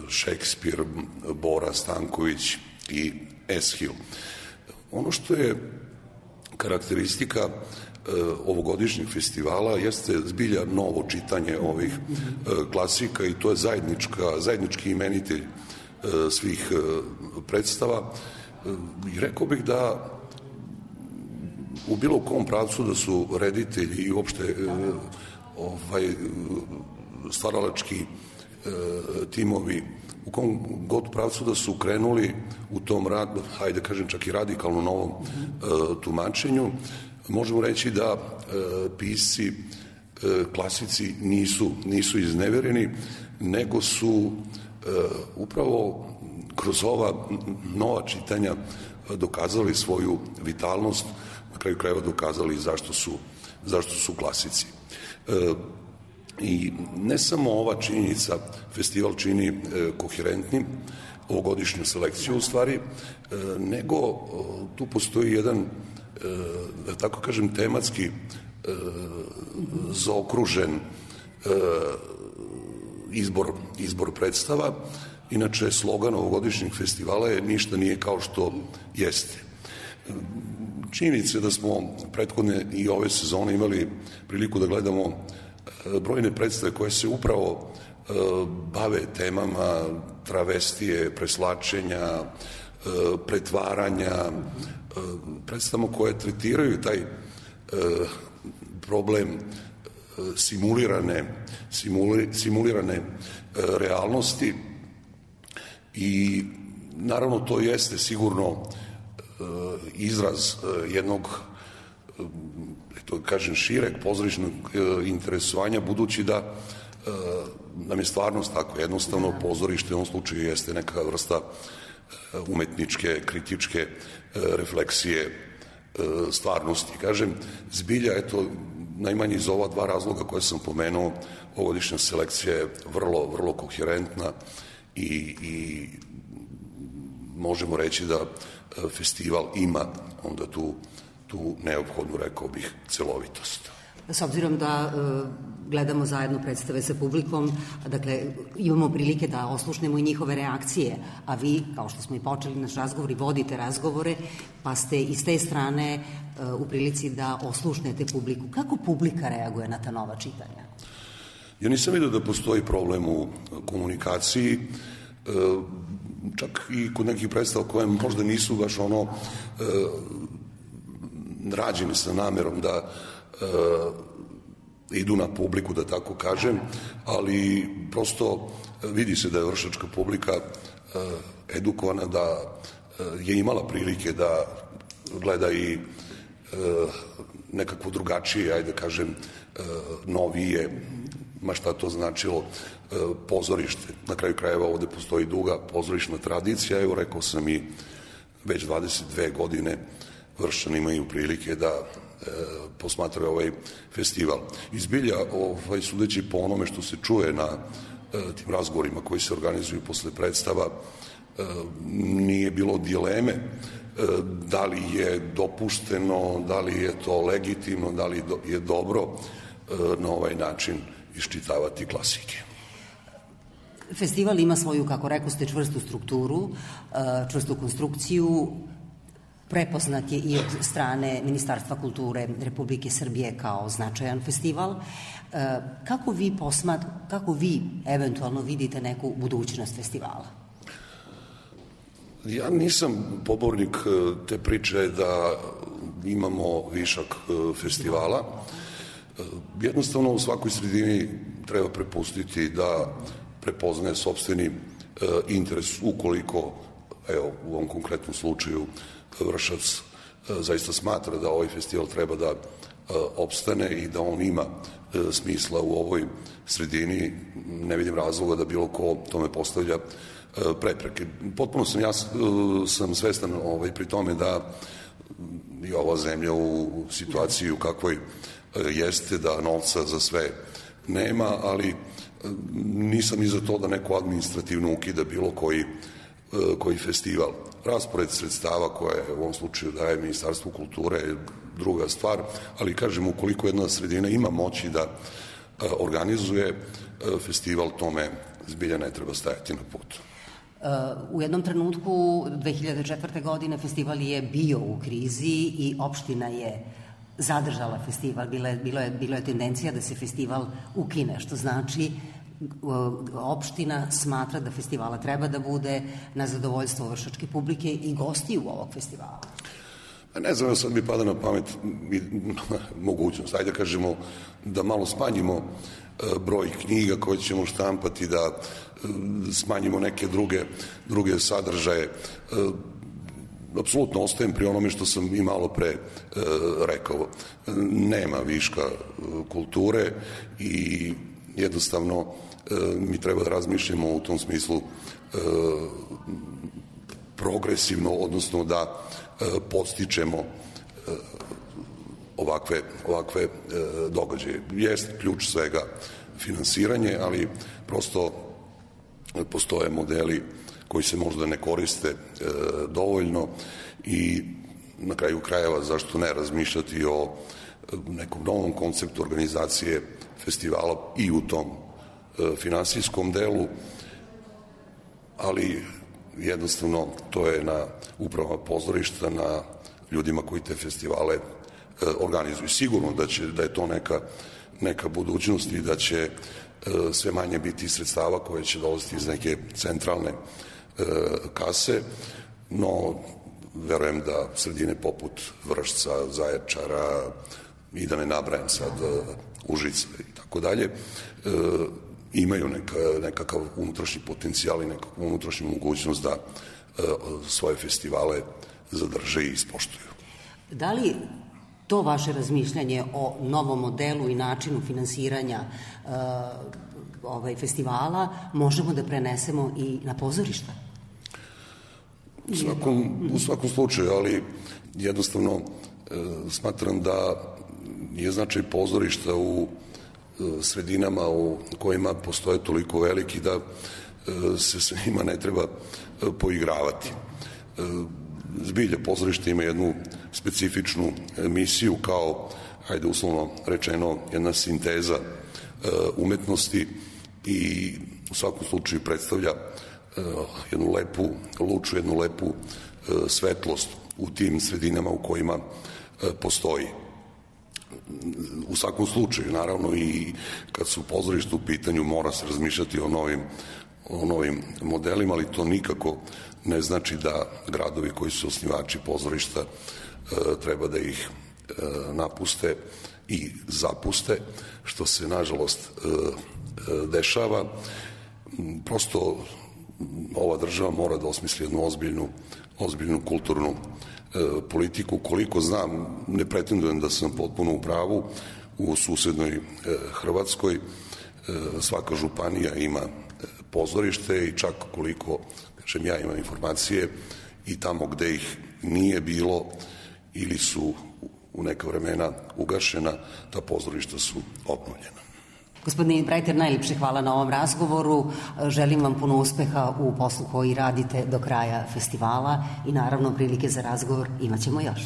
Šekspir, Bora Stanković i Eshil. Ono što je karakteristika ovogodišnjeg festivala jeste zbilja novo čitanje ovih klasika i to je zajednički imenitelj svih predstava. I rekao bih da u bilo kom pravcu da su reditelji i uopšte stvaralački timovi u kom god pravcu da su krenuli u tom radu, hajde kažem čak i radikalno novom tumačenju, možemo reći da pisci klasici nisu iznevereni, nego su upravo kroz ova nova čitanja dokazali svoju vitalnost, na kraju krajeva dokazali zašto su klasici. I ne samo ova činjenica festival čini koherentnim ovogodišnju selekciju u stvari, nego tu postoji jedan, da tako kažem, tematski zaokružen izbor predstava. Inače, slogan ovogodišnjeg festivala je ništa nije kao što jeste. Činjenica je da smo prethodne i ove sezone imali priliku da gledamo brojne predstave koje se upravo bave temama travestije, preslačenja, pretvaranja, predstavama koje tretiraju taj problem simulirane realnosti i naravno to jeste sigurno izraz jednog, to kažem, šireg pozorišnog interesovanja, budući da nam je stvarnost tako. Jednostavno pozorište u ovom slučaju jeste neka vrsta umetničke, kritičke refleksije stvarnosti. Kažem, zbilja, eto, najmanje iz ova 2 razloga koje sam pomenuo, ovogodišnja selekcija je vrlo, vrlo koherentna i možemo reći da festival ima onda tu neophodnu, rekao bih, celovitost. S obzirom da gledamo zajedno predstave sa publikom, dakle, imamo prilike da oslušnemo i njihove reakcije, a vi, kao što smo i počeli naš razgovor, i vodite razgovore, pa ste iz te strane u prilici da oslušnete publiku. Kako publika reaguje na ta nova čitanja? Ja nisam vidio da postoji problem u komunikaciji. čak i kod nekih predstava koje možda nisu baš ono rađene sa namerom da idu na publiku, da tako kažem, ali prosto vidi se da je vršačka publika edukovana, da je imala prilike da gleda i nekakvo drugačije, ajde kažem, novije, ma šta to značilo, pozorište. Na kraju krajeva ovde postoji duga pozorišna tradicija, evo rekao sam i već 22 godine Vršćani imaju prilike da posmatraju ovaj festival. Izbilja, sudeći po onome što se čuje na tim razgovorima koji se organizuju posle predstava, nije bilo dileme da li je dopušteno, da li je to legitimno, da li je dobro na ovaj način iščitavati klasike. Festival ima svoju, kako rekao ste, čvrstu strukturu, čvrstu konstrukciju, prepoznat je i od strane Ministarstva kulture Republike Srbije kao značajan festival. Kako vi eventualno vidite neku budućnost festivala? Ja nisam pobornik te priče da imamo višak festivala. Jednostavno u svakoj sredini treba prepustiti da prepoznaje sopstveni interes, ukoliko, evo, u ovom konkretnom slučaju Vršac zaista smatra da ovaj festival treba da opstane i da on ima smisla u ovoj sredini, ne vidim razloga da bilo ko tome postavlja prepreke. Potpuno sam svestan pri tome da je ova zemlja u situaciji u kakvoj jeste, da novca za sve nema, ali nisam i za to da neko administrativno ukida bilo koji festival. Raspored sredstava koje u ovom slučaju daje Ministarstvo kulture je druga stvar, ali kažem, ukoliko jedna sredina ima moći da organizuje festival, tome zbilja ne treba stajati na putu. U jednom trenutku 2004. godine festival je bio u krizi i opština je zadržala festival. Bilo je tendencija da se festival ukine, što znači opština smatra da festivala treba da bude na zadovoljstvo vršačke publike i gostiju ovog festivala. Ne znam, sad mi pada na pamet mogućnost. Ajde kažemo da malo smanjimo broj knjiga koje ćemo štampati, da smanjimo neke druge sadržaje. Apsolutno ostajem pri onome što sam i malo pre rekao. Nema viška kulture i jednostavno mi treba da razmišljamo u tom smislu progresivno, odnosno da podstičemo ovakve događaje. Jeste ključ svega finansiranje, ali prosto postoje modeli koji se možda ne koriste dovoljno i na kraju krajeva zašto ne razmišljati o nekom novom konceptu organizacije festivala i u tom finansijskom delu, ali jednostavno to je na upravama pozorišta, na ljudima koji te festivale organizuju. Sigurno da je to neka budućnost i da će sve manje biti sredstava koje će dolaziti iz neke centralne kase, no verujem da sredine poput Vršca, Zaječara i da ne nabrajam sad Užica i tako dalje, imaju nekakav unutrašnji potencijal i nekakvu unutrašnju mogućnost da svoje festivale zadrže i ispoštuju. Da li to vaše razmišljanje o novom modelu i načinu finansiranja festivala možemo da prenesemo i na pozorišta? U svakom slučaju, ali jednostavno smatram da je značaj pozorišta u sredinama u kojima postoje toliko veliki da se sa njima ne treba poigravati. Zbilja, pozorište ima jednu specifičnu misiju kao, hajde uslovno rečeno, jedna sinteza umetnosti i u svakom slučaju predstavlja jednu lepu luču, jednu lepu svetlost u tim sredinama u kojima postoji. U svakom slučaju, naravno, i kad su pozorište u pitanju, mora se razmišljati o o novim modelima, ali to nikako ne znači da gradovi koji su osnivači pozorišta treba da ih napuste i zapuste, što se nažalost dešava. Prosto ova država mora da osmisli jednu ozbiljnu kulturnu politiku. Koliko znam, ne pretendujem da sam potpuno u pravu, u susednoj Hrvatskoj svaka županija ima pozorište i čak koliko, kažem, ja imam informacije, i tamo gde ih nije bilo ili su u neka vremena ugašena, ta pozorišta su obnovljena. Gospodine Brajter, najljepše hvala na ovom razgovoru. Želim vam puno uspeha u poslu koji radite do kraja festivala i naravno prilike za razgovor imat ćemo još.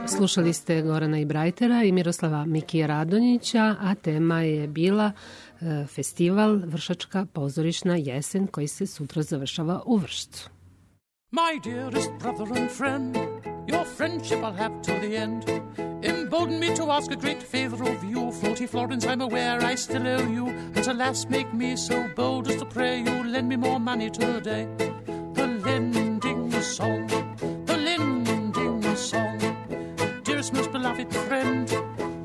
Slušali ste Gorana Ibrajtera i Miroslava Mikija Radonjića, a tema je bila festival Vršačka pozorišna jesen koji se sutra završava u Vršcu. My dearest brother and friend, your friendship I'll have till the end. Embolden me to ask a great favor of you. Floaty Florence, I'm aware I still owe you. And alas, make me so bold as to pray you lend me more money today. The lending song, the lending song. Dearest, most beloved friend,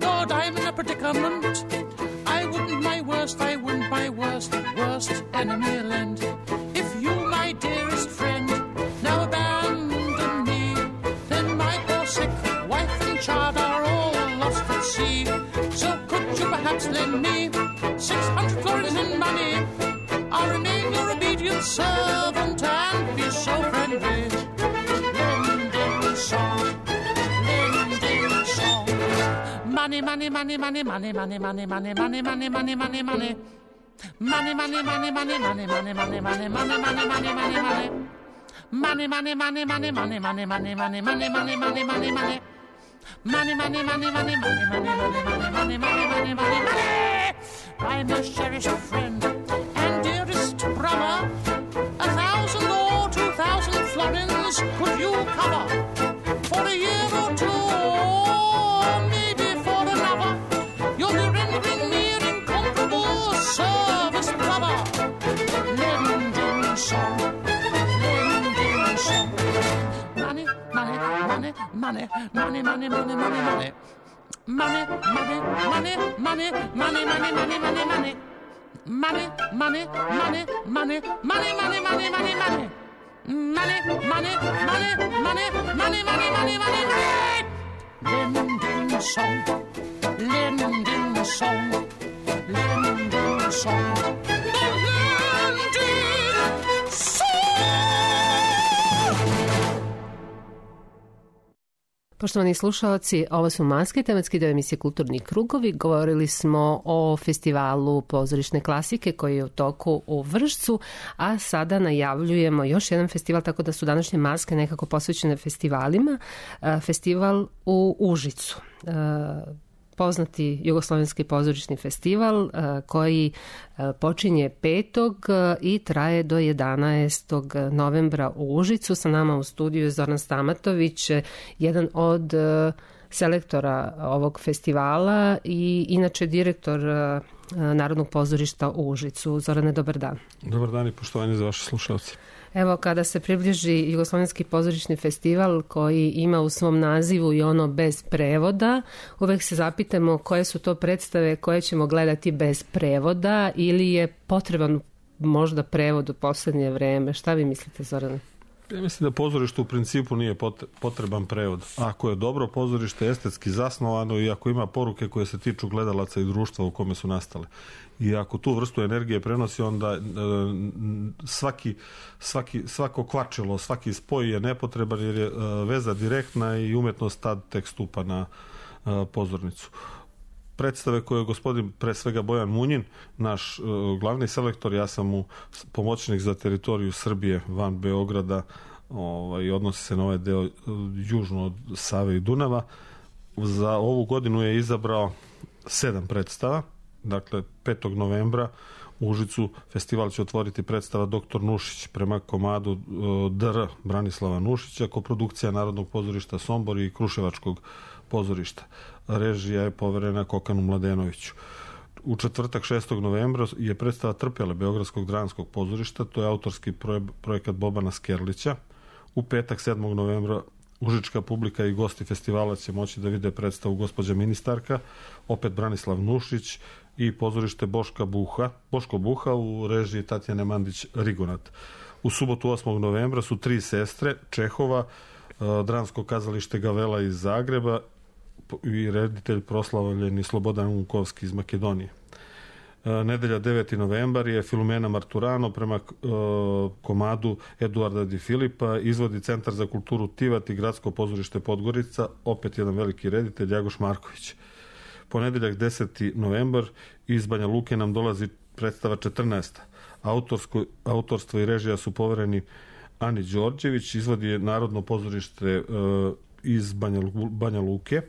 Lord, I'm in a predicament. I wouldn't my worst enemy lend. If you, my dearest friend, now abandon me, then my poor sick wife and child are all lost at sea. So could you perhaps lend me 600 florins in money? I'll remain your obedient servant and be so friendly. Lending song, lending song. Money, money, money, money, money, money, money, money, money, money, money, money, money. Money, money, money, money, money, money, money, money, money, money, money, money, money. Money, money, money, money, money, money, money, money, money, money, money, money, money. Money, money, money, money, money, money, money, money, money, money, money, money. My most cherished friend and dearest brother, 1,000 or 2,000 florins could you cover for a year or two, or maybe for another? You'll be rendering me an incomparable service, brother. Lending song, lending song. Money, money, money, money, money, money, money, money, money. Money, money, money, money, money, money, money, money, money. Money, money, money, money, money, money, money, money, money. Money, money, money, money, money, money, money, money, money. Lending song, lending song, lending song. Lending song. Poštovani slušalci, ovo su Maske, tematski deo emisije Kulturni krugovi. Govorili smo o festivalu pozorišne klasike koji je u toku u Vršcu, a sada najavljujemo još jedan festival, tako da su današnje Maske nekako posvećene festivalima. Festival u Užicu. Poznati jugoslovenski pozorišni festival koji počinje 5. i traje do 11. novembra u Užicu. Sa nama u studiju je Zoran Stamatović, jedan od selektora ovog festivala i inače direktor Narodnog pozorišta u Užicu. Zorane, dobar dan. Dobar dan i poštovanje za vaše slušalce. Evo, kada se približi Jugoslovenski pozorišni festival koji ima u svom nazivu i ono bez prevoda, uvek se zapitamo koje su to predstave koje ćemo gledati bez prevoda ili je potreban možda prevod u poslednje vreme. Šta vi mislite, Zorane? Ja mislim da pozorište u principu nije potreban prevod. Ako je dobro pozorište, estetski zasnovano i ako ima poruke koje se tiču gledalaca i društva u kome su nastale. I ako tu vrstu energije prenosi, onda svako kvačilo, svaki spoj je nepotreban jer je veza direktna i umetnost tad tek stupa na pozornicu. Predstave koje je gospodin, pre svega Bojan Munjin, naš glavni selektor, ja sam mu pomoćnik za teritoriju Srbije van Beograda, i odnosi se na ovaj deo južno od Save i Dunava. Za ovu godinu je izabrao 7 predstava. Dakle, 5. novembra u Užicu festival će otvoriti predstava Doktor Nušić prema komadu Dr. Branislava Nušića, koprodukcija Narodnog pozorišta Sombor i Kruševačkog pozorišta. Režija je poverena Kokanu Mladenoviću. u četvrtak 6. novembra je predstava Trpele Beogradskog dramskog pozorišta, to je autorski projekat Bobana Skerlića. U petak 7. novembra užička publika i gosti festivala će moći da vide predstavu Gospođa ministarka, opet Branislav Nušić i pozorište Boško Buha u režiji Tatjane Mandić-Rigonat. U subotu 8. novembra su Tri sestre Čehova, dramsko kazalište Gavela iz Zagreba i reditelj proslavljeni Slobodan Unkovski iz Makedonije. Nedelja 9. novembar je Filomena Marturano prema komadu Eduarda Di Filipa, izvodi Centar za kulturu Tivat i Gradsko pozorište Podgorica, opet jedan veliki reditelj Jagoš Marković. Ponedeljak 10. novembar iz Banja Luke nam dolazi predstava 14. Autorstvo i režija su povereni Ani Đorđević, izvodi je Narodno pozorište iz Banja Luke,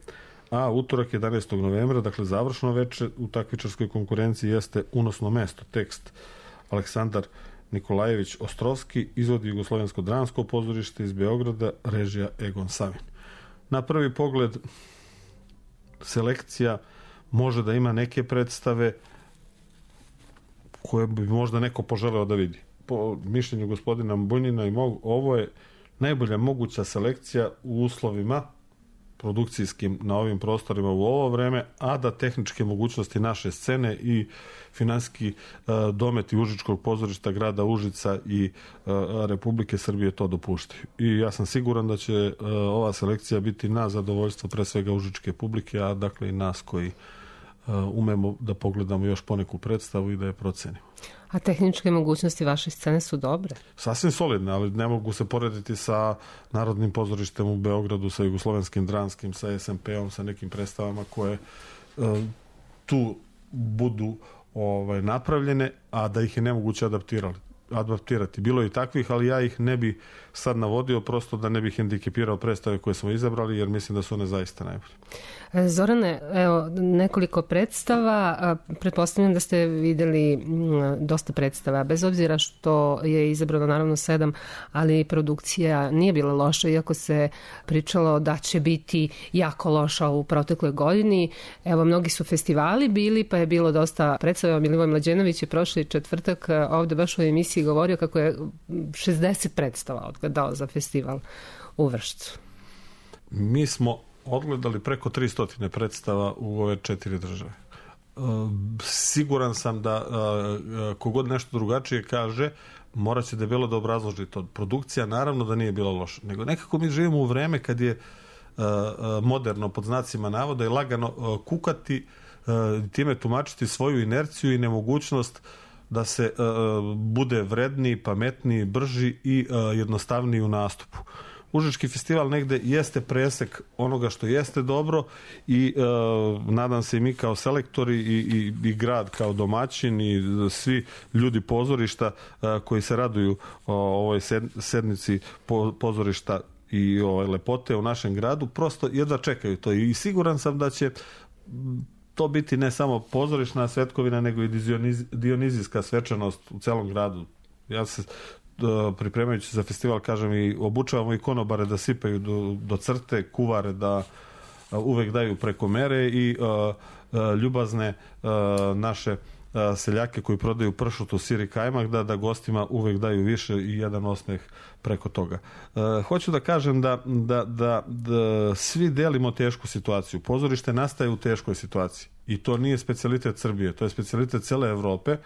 a utorak 11. novembra, dakle završno veče u takmičarskoj konkurenciji jeste Unosno mesto, tekst Aleksandar Nikolajević Ostrovski, izvodi Jugoslovensko dramsko pozorište iz Beograda, režija Egon Savin. Na prvi pogled selekcija može da ima neke predstave koje bi možda neko poželeo da vidi. Po mišljenju gospodina Bunjina i ovo je najbolja moguća selekcija u uslovima produkcijskim na ovim prostorima u ovo vreme, a da tehničke mogućnosti naše scene i finansijski dometi Užičkog pozorišta grada Užica i Republike Srbije to dopuštaju. I ja sam siguran da će ova selekcija biti na zadovoljstvo pre svega užičke publike, a dakle i nas koji umemo da pogledamo još poneku predstavu i da je procenimo. A tehničke mogućnosti vaše scene su dobre? Sasvim solidne, ali ne mogu se porediti sa Narodnim pozorištem u Beogradu, sa Jugoslovenskim dramskim, sa SMP-om, sa nekim predstavama koje tu budu napravljene, a da ih je nemoguće adaptirati. Bilo je i takvih, ali ja ih ne bi sad navodio, prosto da ne bih hendikepirao predstave koje smo izabrali, jer mislim da su one zaista najbolje. Zorane, evo, nekoliko predstava, pretpostavljam da ste videli dosta predstava, bez obzira što je izabrano naravno 7, ali produkcija nije bila loša, iako se pričalo da će biti jako loša u protekloj godini. Evo, mnogi su festivali bili, pa je bilo dosta predstava. Milivoj Mlađenović je prošli četvrtak ovde baš u emisiji govorio kako je 60 predstava odgledao za festival u Vršcu. Mi smo odgledali preko 300 predstava u ove 4 države. Siguran sam da kogod nešto drugačije kaže, morat će debelo da obrazloži to. Produkcija naravno da nije bila loša, nego nekako mi živimo u vreme kad je moderno, pod znacima navoda, i lagano kukati, time tumačiti svoju inerciju i nemogućnost da se bude vredniji, pametniji, brži i jednostavniji u nastupu. Užički festival negde jeste presek onoga što jeste dobro i nadam se i mi kao selektori i grad kao domaćin i svi ljudi pozorišta koji se raduju ovoj sednici pozorišta i lepote u našem gradu, prosto jedva čekaju to i siguran sam da će to biti ne samo pozorišna svetkovina, nego i dionizijska svečanost u celom gradu. Ja se pripremajući za festival, kažem, i obučavamo i konobare da sipaju do crte, kuvare da uvek daju preko mere i ljubazne naše seljake koji prodaju pršutu, sir i kajmak da gostima uvek daju više i jedan osmeh preko toga. Hoću da kažem da svi delimo tešku situaciju. Pozorište nastaje u teškoj situaciji i to nije specijalitet Srbije, to je specijalitet cele Evrope,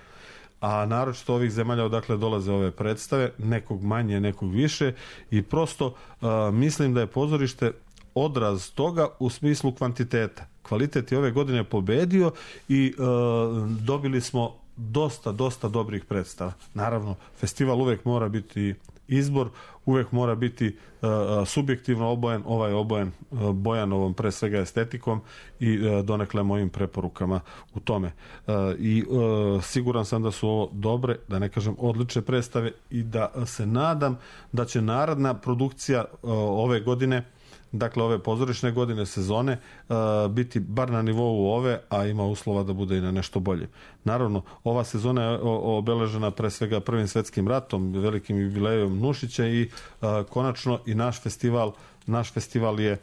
a naročito ovih zemalja odakle dolaze ove predstave, nekog manje, nekog više, i prosto mislim da je pozorište odraz toga u smislu kvantiteta. Kvalitet je ove godine pobedio i dobili smo dosta dobrih predstava. Naravno, festival uvek mora biti izbor, uvek mora biti subjektivno obojen, ovaj obojen Bojanovom pre svega estetikom i donekle mojim preporukama u tome. I siguran sam da su ovo dobre, da ne kažem odlične predstave i da se nadam da će naredna produkcija ove godine, dakle ove pozorišne godine, sezone, biti bar na nivou ove, a ima uslova da bude i na nešto bolje. Naravno, ova sezona je obeležena pre svega Prvim svetskim ratom, velikim jubilejom Nušića i konačno i naš festival je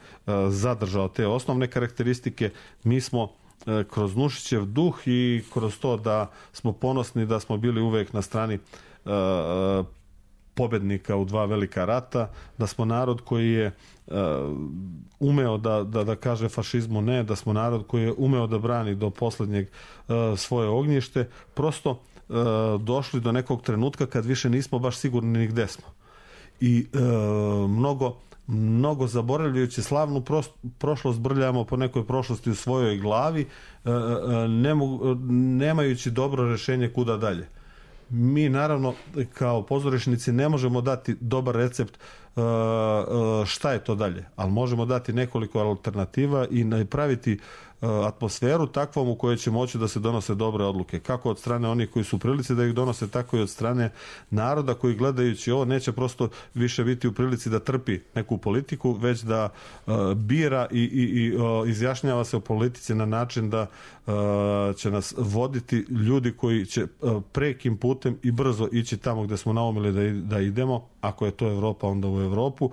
zadržao te osnovne karakteristike. Mi smo kroz Nušićev duh i kroz to da smo ponosni da smo bili uvek na strani pobednika u dva velika rata, da smo narod koji je umeo da kaže fašizmu ne, da smo narod koji je umeo da brani do poslednjeg svoje ognjište, prosto došli do nekog trenutka kad više nismo baš sigurni ni gde smo. I mnogo zaboravljajući slavnu prošlost brljamo po nekoj prošlosti u svojoj glavi, nemajući dobro rešenje kuda dalje. Mi naravno kao pozorišnici ne možemo dati dobar recept šta je to dalje, ali možemo dati nekoliko alternativa i napraviti atmosferu takvom u kojoj će moći da se donose dobre odluke, kako od strane onih koji su u prilici da ih donose, tako i od strane naroda koji gledajući ovo neće prosto više biti u prilici da trpi neku politiku, već da bira i izjašnjava se o politici na način da će nas voditi ljudi koji će prekim putem i brzo ići tamo gde smo naumili da idemo, ako je to Evropa onda u Evropu,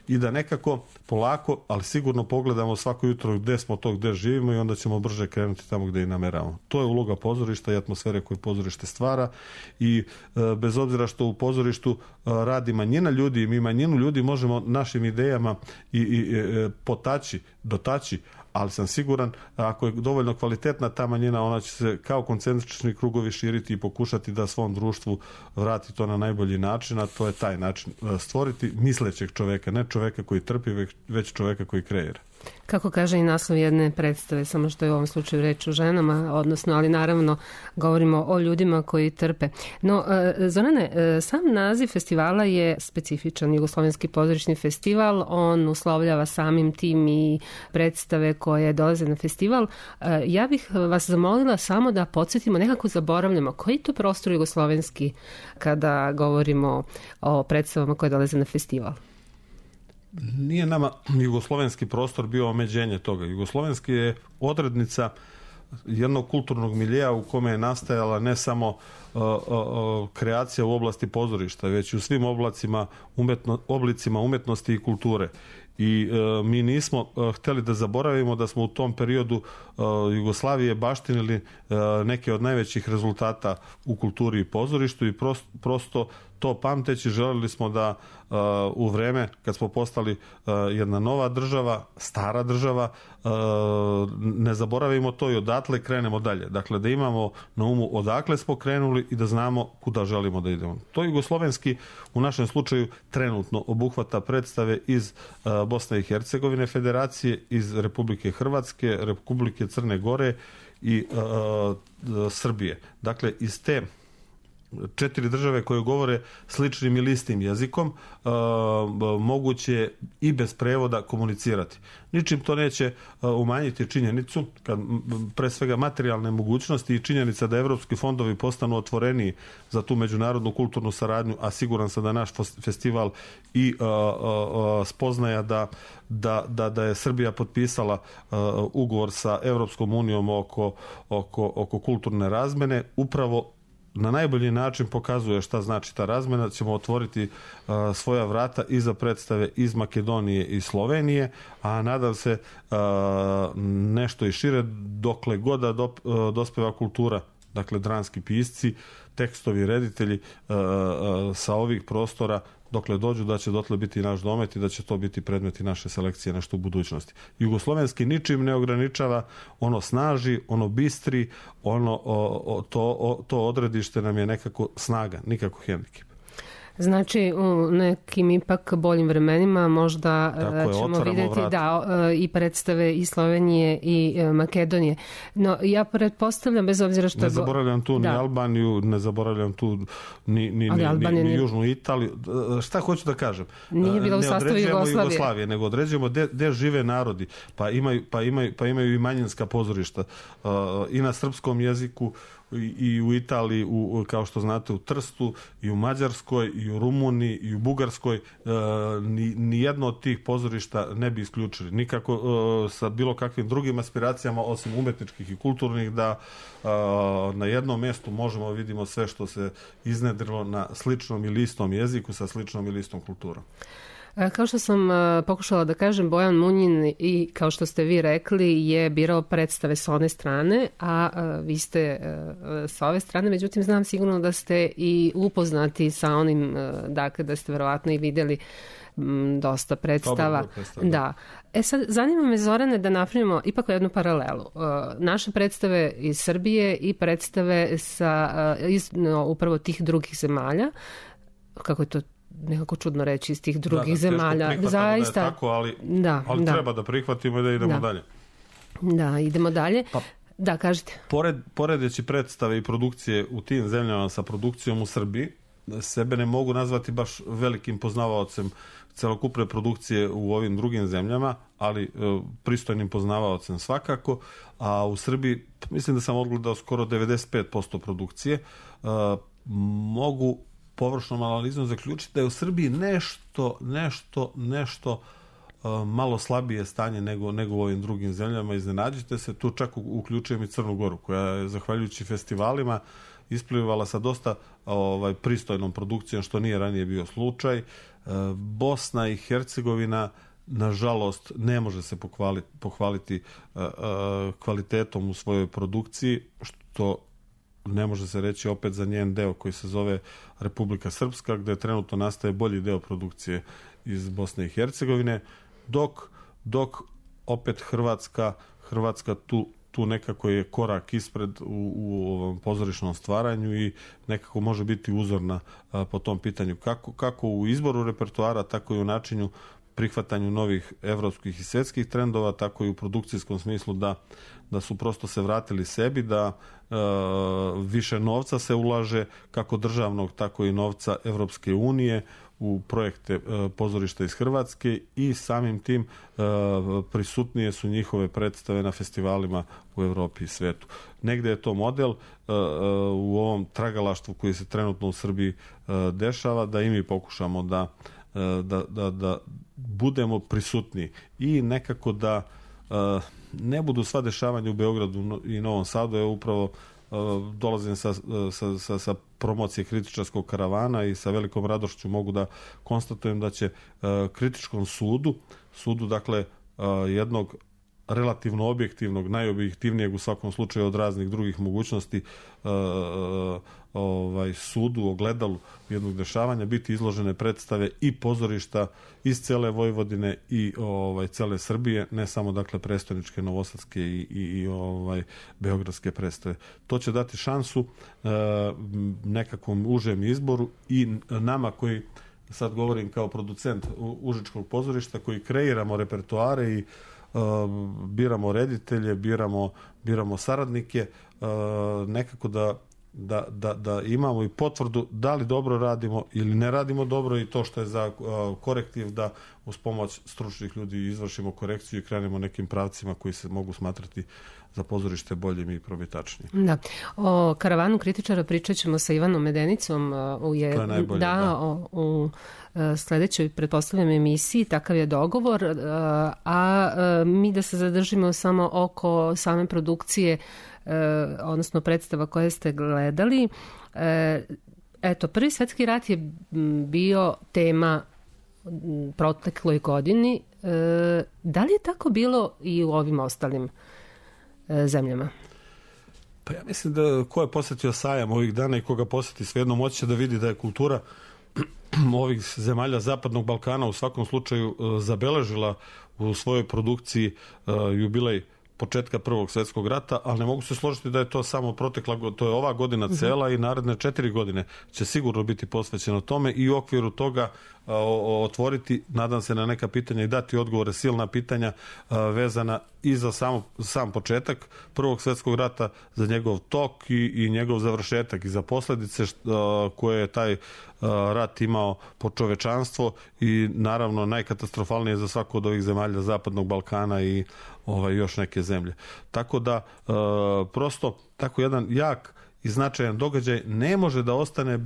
i da nekako polako, ali sigurno pogledamo svako jutro gde smo to, gde živimo i onda ćemo brže krenuti tamo gde i nameravamo. To je uloga pozorišta i atmosfere koju pozorište stvara i bez obzira što u pozorištu radi manjina ljudi i mi manjinu ljudi možemo našim idejama i dotaći, ali sam siguran ako je dovoljno kvalitetna ta manjina, ona će se kao koncentrični krugovi širiti i pokušati da svom društvu vrati to na najbolji način, a to je taj način stvoriti mislećeg čoveka, ne čoveka koji trpi, već čoveka koji kreira. Kako kaže i naslov jedne predstave, samo što je u ovom slučaju reč o ženama, odnosno, ali naravno govorimo o ljudima koji trpe. No, Zorane, sam naziv festivala je specifičan, Jugoslovenski pozorišni festival, on uslovljava samim tim i predstave koje dolaze na festival. Ja bih vas zamolila samo da podsjetimo, nekako zaboravljamo, koji je to prostor jugoslovenski kada govorimo o predstavama koje dolaze na festival? Nije nama jugoslovenski prostor bio omeđenje toga. Jugoslovenski je odrednica jednog kulturnog miljeja u kome je nastajala ne samo kreacija u oblasti pozorišta, već i u svim oblicima umetnosti i kulture. I mi nismo hteli da zaboravimo da smo u tom periodu Jugoslavije baštinili neke od najvećih rezultata u kulturi i pozorištu i prosto to pamteći želeli smo da u vreme kad smo postali jedna nova država, stara država, ne zaboravimo to i odatle krenemo dalje. Dakle, da imamo na umu odakle smo krenuli i da znamo kuda želimo da idemo. To jugoslovenski u našem slučaju trenutno obuhvata predstave iz Bosne i Hercegovine federacije, iz Republike Hrvatske, Republike Crne Gore i Srbije. Dakle, iz te 4 države koje govore sličnim ili istim jezikom, moguće i bez prevoda komunicirati. Ničim to neće umanjiti činjenicu, pre svega materijalne mogućnosti i činjenica da evropski fondovi postanu otvoreniji za tu međunarodnu kulturnu saradnju, a siguran sam da naš festival i spoznaja da je Srbija potpisala ugovor sa Evropskom unijom oko kulturne razmene, upravo na najbolji način pokazuje šta znači ta razmena. Ćemo otvoriti svoja vrata i za predstave iz Makedonije i Slovenije, a nadam se nešto i šire dokle god da dospeva kultura, dakle dramski pisci, tekstovi, reditelji sa ovih prostora, dokle dođu da će dotle biti naš domet i da će to biti predmeti naše selekcije nešto u budućnosti. Jugoslovenski ničim ne ograničava, ono snaži, ono bistri, to odredište nam je nekako snaga, nikako hendikep. Znači, u nekim ipak boljim vremenima možda ćemo vidjeti i predstave i Slovenije i Makedonije. No, ja pretpostavljam, bez obzira što... Ne zaboravljam tu ni Albaniju, ne zaboravljam tu ni Južnu Italiju. Šta hoću da kažem? Nije bila u sastavu Jugoslavije, nego određujemo gde žive narodi, pa imaju i manjinska pozorišta i na srpskom jeziku, i u Italiji, kao što znate, u Trstu, i u Mađarskoj, i u Rumuniji, i u Bugarskoj. Ni jedno od tih pozorišta ne bi isključili. Nikako sa bilo kakvim drugim aspiracijama, osim umetničkih i kulturnih, da na jednom mjestu možemo vidimo sve što se iznedrilo na sličnom ili istom jeziku, sa sličnom ili istom kulturom. Kao što sam pokušala da kažem, Bojan Munjin i kao što ste vi rekli je birao predstave s one strane, a vi ste sa ove strane, međutim znam sigurno da ste i upoznati sa onim, dakle da ste verovatno i vidjeli dosta predstava. Da. Sad, zanima me, Zorane, da napravimo ipak jednu paralelu. Naše predstave iz Srbije i predstave iz upravo tih drugih zemalja, kako je to nekako čudno reći, iz tih drugih zemalja. Zaista, da je tako, ali treba da prihvatimo i da idemo dalje. Da, idemo dalje. Da, kažite. Poredeći predstave i produkcije u tim zemljama sa produkcijom u Srbiji, sebe ne mogu nazvati baš velikim poznavaocem celokupne produkcije u ovim drugim zemljama, ali pristojnim poznavaocem svakako, a u Srbiji mislim da sam odgledao skoro 95% produkcije. Mogu površnom analizom zaključiti da je u Srbiji nešto malo slabije stanje nego u ovim drugim zemljama. Iznenađite se, tu čak uključujem i Crnu Goru, koja je zahvaljujući festivalima isplivala sa dosta pristojnom produkcijom, što nije ranije bio slučaj. Bosna i Hercegovina, nažalost, ne može se pohvaliti kvalitetom u svojoj produkciji, što ne može se reći opet za njen deo koji se zove Republika Srpska, gde trenutno nastaje bolji deo produkcije iz Bosne i Hercegovine, dok opet Hrvatska tu nekako je korak ispred u ovom pozorišnom stvaranju i nekako može biti uzorna po tom pitanju. Kako u izboru repertoara, tako i u načinu prihvatanju novih evropskih i svjetskih trendova, tako i u produkcijskom smislu da su prosto se vratili sebi, da više novca se ulaže, kako državnog, tako i novca Evropske unije u projekte pozorišta iz Hrvatske i samim tim prisutnije su njihove predstave na festivalima u Evropi i svetu. Negde je to model u ovom tragalaštvu koji se trenutno u Srbiji dešava, da i mi pokušamo da budemo prisutni i nekako da ne budu sva dešavanja u Beogradu i Novom Sadu. Ja upravo dolazim sa promocije kritičarskog karavana i sa velikom radošću mogu da konstatujem da će kritičkom sudu dakle jednog relativno objektivnog, najobjektivnijeg u svakom slučaju od raznih drugih mogućnosti sudu, ogledalu jednog dešavanja biti izložene predstave i pozorišta iz cele Vojvodine i cele Srbije, ne samo dakle prestoničke, novosadske i beogradske predstave. To će dati šansu nekakvom užem izboru i nama koji, sad govorim kao producent Užičkog pozorišta, koji kreiramo repertoare i biramo reditelje, biramo saradnike, nekako da imamo i potvrdu da li dobro radimo ili ne radimo dobro, i to što je za korektiv da uz pomoć stručnih ljudi izvršimo korekciju i krenemo nekim pravcima koji se mogu smatrati za pozorište boljim i probitačnijim. Da. O karavanu kritičara pričat ćemo sa Ivanom Medenicom u sledećoj, pretpostavljam, emisiji, takav je dogovor, a mi da se zadržimo samo oko same produkcije, odnosno predstava koje ste gledali. Eto, Prvi svetski rat je bio tema protekloj godini. Da li je tako bilo i u ovim ostalim zemljama? Pa ja mislim da ko je posjetio sajam ovih dana i koga posjeti, svejedno moći će da vidi da je kultura ovih zemalja Zapadnog Balkana u svakom slučaju zabeležila u svojoj produkciji jubilej početka Prvog svjetskog rata, ali ne mogu se složiti da je to samo protekla, to je ova godina cela i naredne 4 godine će sigurno biti posvećeno tome i u okviru toga otvoriti, nadam se, na neka pitanja i dati odgovore, silna pitanja vezana i za sam početak Prvog svjetskog rata, za njegov tok i njegov završetak i za posljedice koje je taj rat imao po čovečanstvo i naravno najkatastrofalnije za svaku od ovih zemalja Zapadnog Balkana i još neke zemlje. Tako da prosto tako jedan jak i značajan događaj ne može da ostane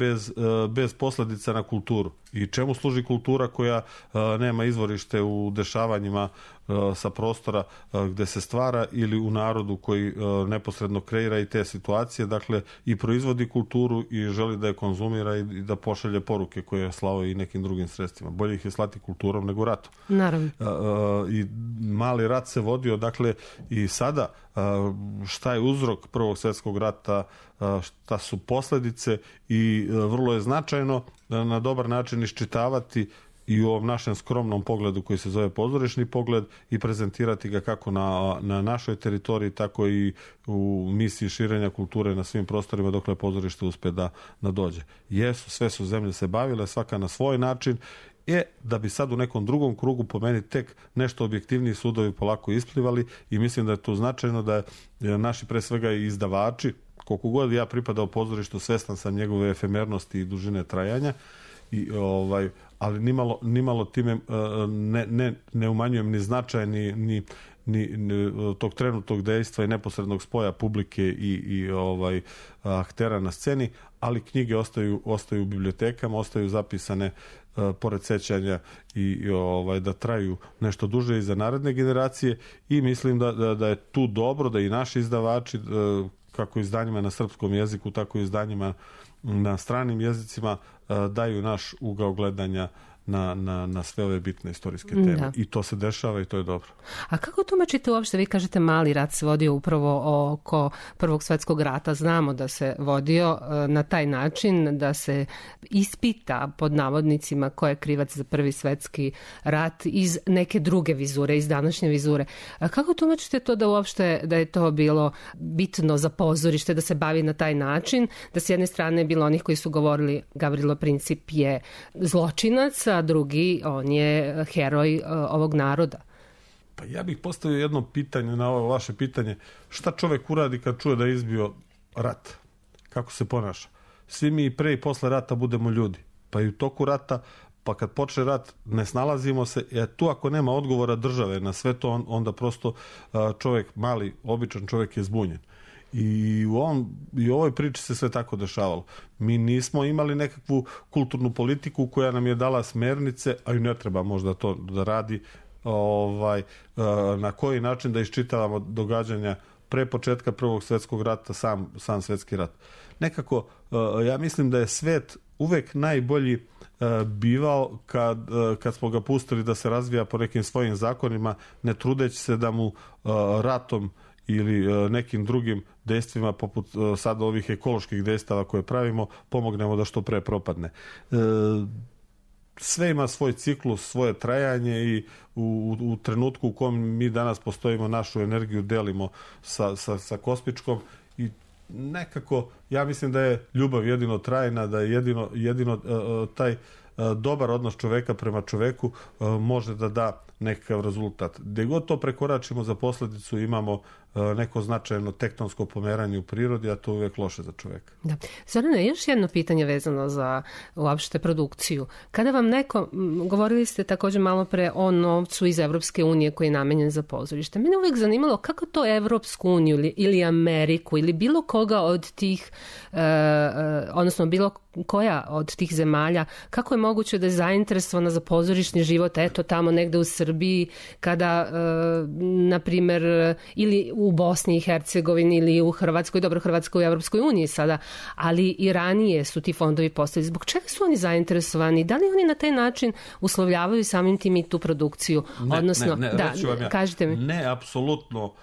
bez posljedica na kulturu. I čemu služi kultura koja nema izvorište u dešavanjima sa prostora gde se stvara ili u narodu koji neposredno kreira i te situacije, dakle i proizvodi kulturu i želi da je konzumira i da pošalje poruke koje je slao i nekim drugim sredstvima. Bolje ih je slati kulturom nego ratom. Naravno. I mali rat se vodio, dakle i sada šta je uzrok Prvog svjetskog rata, šta su posledice i vrlo je značajno na dobar način iščitavati i u ovom našem skromnom pogledu koji se zove pozorišni pogled i prezentirati ga kako na našoj teritoriji, tako i u misiji širenja kulture na svim prostorima dokle pozorište uspe da dođe. Jesu, sve su zemlje se bavile, svaka na svoj način, da bi sad u nekom drugom krugu po meni tek nešto objektivniji sudovi polako isplivali i mislim da je to značajno da naši pre svega i izdavači, koliko god ja pripadao pozorištu, svestan sam njegove efemernosti i dužine trajanja, ali nimalo time ne umanjujem ni značaj ni tog trenutnog dejstva i neposrednog spoja publike i aktera na sceni, ali knjige ostaju u bibliotekama, ostaju zapisane pored sećanja i da traju nešto duže i za naredne generacije i mislim da je tu dobro da i naši izdavači, kako izdanjima na srpskom jeziku, tako i izdanjima na stranim jezicima, daju naš ugao gledanja na sve ove bitne istorijske teme. Da. I to se dešava i to je dobro. A kako tumačite uopšte, vi kažete mali rat se vodio upravo oko Prvog svjetskog rata, znamo da se vodio na taj način da se ispita pod navodnicima ko je krivac za Prvi svjetski rat iz neke druge vizure, iz današnje vizure. A kako tumačite to da uopšte da je to bilo bitno za pozorište, da se bavi na taj način, da s jedne strane je bilo onih koji su govorili Gavrilo Princip je zločinac, a drugi, on je heroj ovog naroda. Pa ja bih postavio jedno pitanje na ovo vaše pitanje. Šta čovek uradi kad čuje da je izbio rat? Kako se ponaša? Svi mi i pre i posle rata budemo ljudi. Pa i u toku rata, pa kad počne rat, ne snalazimo se. Tu ako nema odgovora države na sve to, onda prosto čovek, mali, običan čovek je zbunjen. I u ovoj priči se sve tako dešavalo. Mi nismo imali nekakvu kulturnu politiku koja nam je dala smernice, a i ne treba možda to da radi, na koji način da iščitavamo događanja pre početka Prvog svjetskog rata, sam svjetski rat. Nekako, ja mislim da je svet uvek najbolji bivao kad smo ga pustili da se razvija po nekim svojim zakonima, ne trudeći se da mu ratom ili nekim drugim dejstvima poput sada ovih ekoloških dejstava koje pravimo, pomognemo da što pre propadne. Sve ima svoj ciklus, svoje trajanje i u trenutku u kom mi danas postojimo, našu energiju delimo sa kosmičkom i nekako ja mislim da je ljubav jedino trajna, da je jedino taj dobar odnos čoveka prema čoveku može da da nekakav rezultat. Gde god to prekoračimo, za posledicu imamo neko značajno tektonsko pomeranje u prirodi, a to je uvijek loše za čoveka. Da. Zorane, još jedno pitanje vezano za uopšte produkciju. Kada vam neko, govorili ste također malo pre o novcu iz Evropske unije koji je namenjen za pozorište. Mene uvijek zanimalo kako to Evropsku uniju ili Ameriku ili bilo koga od tih, odnosno bilo koja od tih zemalja, kako je moguće da je zainteresovana za pozorišni život, eto tamo negde u Srbiji, kada, na primjer, ili u Bosni i Hercegovini ili u Hrvatskoj, dobro, Hrvatskoj u Evropskoj uniji sada, ali i ranije su ti fondovi postavili. Zbog čega su oni zainteresovani? Da li oni na taj način uslovljavaju samim tim i tu produkciju? Odnosno, ja. Kažite mi. Ne, apsolutno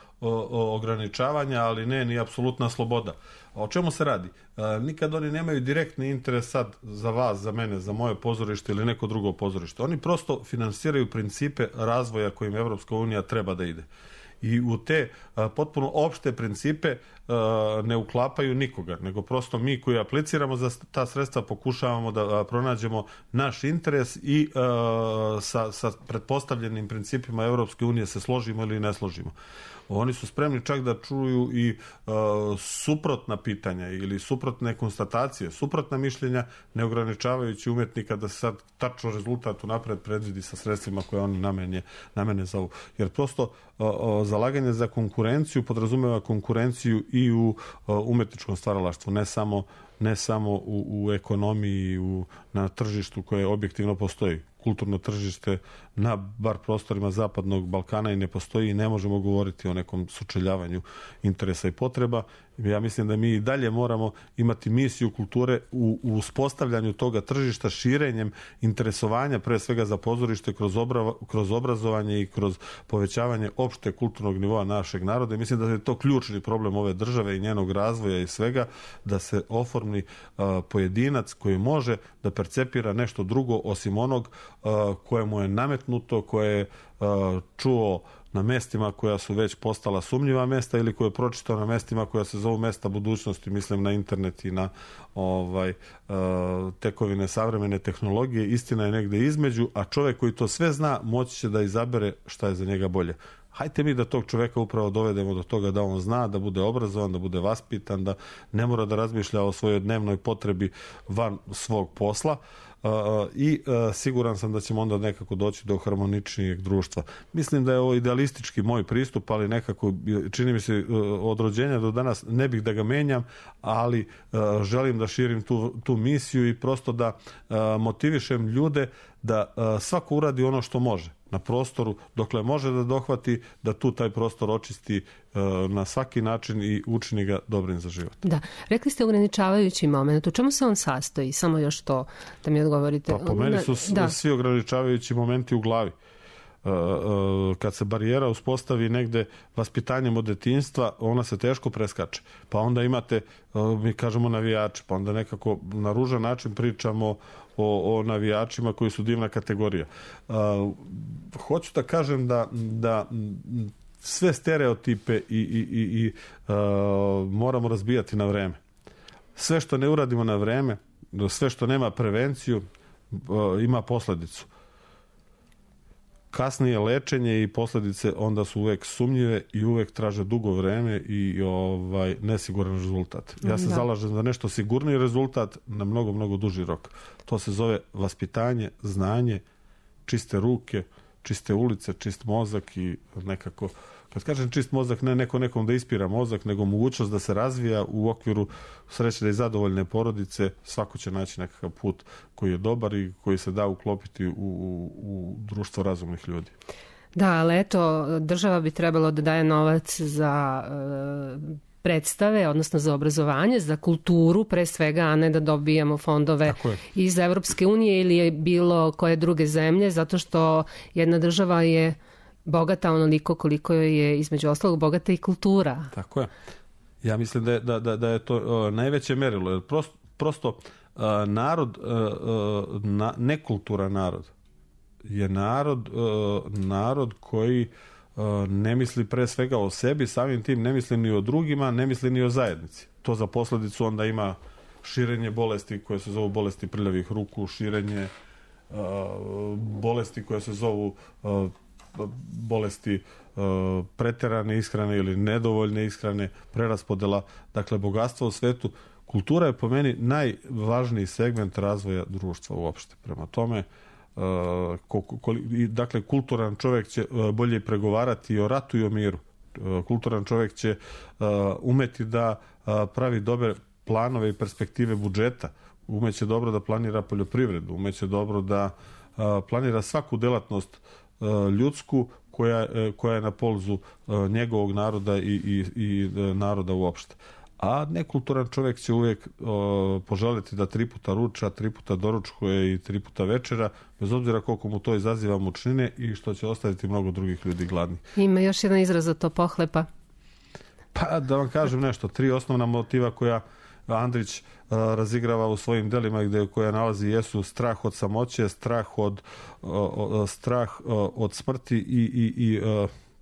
ograničavanja, ali ne ni apsolutna sloboda. O čemu se radi? Nikad oni nemaju direktni interes sad za vas, za mene, za moje pozorište ili neko drugo pozorište. Oni prosto finansiraju principe razvoja kojim Evropska unija treba da ide. I u te potpuno opšte principe ne uklapaju nikoga, nego prosto mi koji apliciramo za ta sredstva pokušavamo da pronađemo naš interes i sa pretpostavljenim principima Evropske unije se složimo ili ne složimo. Oni su spremni čak da čuju i suprotna pitanja ili suprotne konstatacije, suprotna mišljenja, ne ograničavajući umetnika da se sad tačno rezultat unapred predvidi sa sredstvima koje oni namene za ovu. Jer prosto zalaganje za konkurenciju podrazumeva konkurenciju i u umetničkom stvaralaštvu, ne samo ne samo u ekonomiji, na tržištu koje objektivno postoji. Kulturno tržište na bar prostorima Zapadnog Balkana i ne postoji i ne možemo govoriti o nekom sučeljavanju interesa i potreba. Ja mislim da mi i dalje moramo imati misiju kulture u uspostavljanju toga tržišta, širenjem interesovanja pre svega za pozorište kroz obrazovanje i kroz povećavanje opšte kulturnog nivoa našeg naroda. I mislim da je to ključni problem ove države i njenog razvoja i svega, da se oformi pojedinac koji može da percepira nešto drugo osim onog koje mu je nametnuto, koje je čuo na mestima koja su već postala sumnjiva mesta ili koje je pročitao na mestima koja se zovu mesta budućnosti, mislim na internet i na tekovine savremene tehnologije. Istina je negde između, a čovjek koji to sve zna moći će da izabere šta je za njega bolje. Hajde mi da tog čovjeka upravo dovedemo do toga da on zna, da bude obrazovan, da bude vaspitan, da ne mora da razmišlja o svojoj dnevnoj potrebi van svog posla. I siguran sam da ćemo onda nekako doći do harmoničnijeg društva. Mislim da je ovo idealistički moj pristup, ali nekako čini mi se od rođenja do danas ne bih da ga menjam, ali želim da širim tu misiju i prosto da motivišem ljude da svako uradi ono što može na prostoru, dokle može da dohvati, da tu taj prostor očisti na svaki način i učini ga dobrim za život. Da, rekli ste ograničavajući moment. U čemu se on sastoji? Samo još to da mi odgovorite. Pa po meni su svi ograničavajući momenti u glavi. Kad se barijera uspostavi negde vaspitanjem od detinjstva, ona se teško preskače. Pa onda imate, mi kažemo navijači, pa onda nekako na ružan način pričamo o navijačima koji su divna kategorija. Hoću da kažem da sve stereotipe i moramo razbijati na vreme. Sve što ne uradimo na vreme, sve što nema prevenciju, ima posledicu. Kasnije lečenje i posljedice onda su uvek sumnjive i uvek traže dugo vreme i nesiguran rezultat. Ja se zalažem za nešto sigurniji rezultat na mnogo, mnogo duži rok. To se zove vaspitanje, znanje, čiste ruke, čiste ulice, čist mozak i nekako, kad kažem čist mozak, ne nekom da ispira mozak, nego mogućnost da se razvija u okviru srećne i zadovoljne porodice. Svako će naći nekakav put koji je dobar i koji se da uklopiti u društvo razumnih ljudi. Da, ali eto, država bi trebalo da daje novac za predstave, odnosno za obrazovanje, za kulturu pre svega, a ne da dobijamo fondove iz Evropske unije ili bilo koje druge zemlje, zato što jedna država je bogata onoliko koliko je između ostalog bogata i kultura. Tako je. Ja mislim da je to najveće merilo. Jer prosto narod, nekulturan narod je narod koji ne misli pre svega o sebi, samim tim ne misli ni o drugima, ne misli ni o zajednici. To za posljedicu onda ima širenje bolesti koje se zovu bolesti prljavih ruku, širenje bolesti koje se zovu bolesti preterane ishrane ili nedovoljne ishrane, preraspodela, dakle bogatstva u svetu. Kultura je po meni najvažniji segment razvoja društva uopšte. Prema tome, dakle, kulturan čovjek će bolje pregovarati i o ratu i o miru. Kulturan čovjek će umeti da pravi dobre planove i perspektive budžeta, umeće dobro da planira poljoprivredu, umeće dobro da planira svaku delatnost ljudsku koja je na polzu njegovog naroda i naroda uopšte. A nekulturan čovjek će uvijek poželjeti da 3 puta ruča, 3 puta doručkuje i 3 puta večera, bez obzira koliko mu to izaziva mučnine i što će ostaviti mnogo drugih ljudi gladni. Ima još jedan izraz za to, pohlepa. Pa da vam kažem nešto, 3 osnovna motiva koja Andrić razigrava u svojim delima koja nalazi jesu strah od samoće, strah od smrti i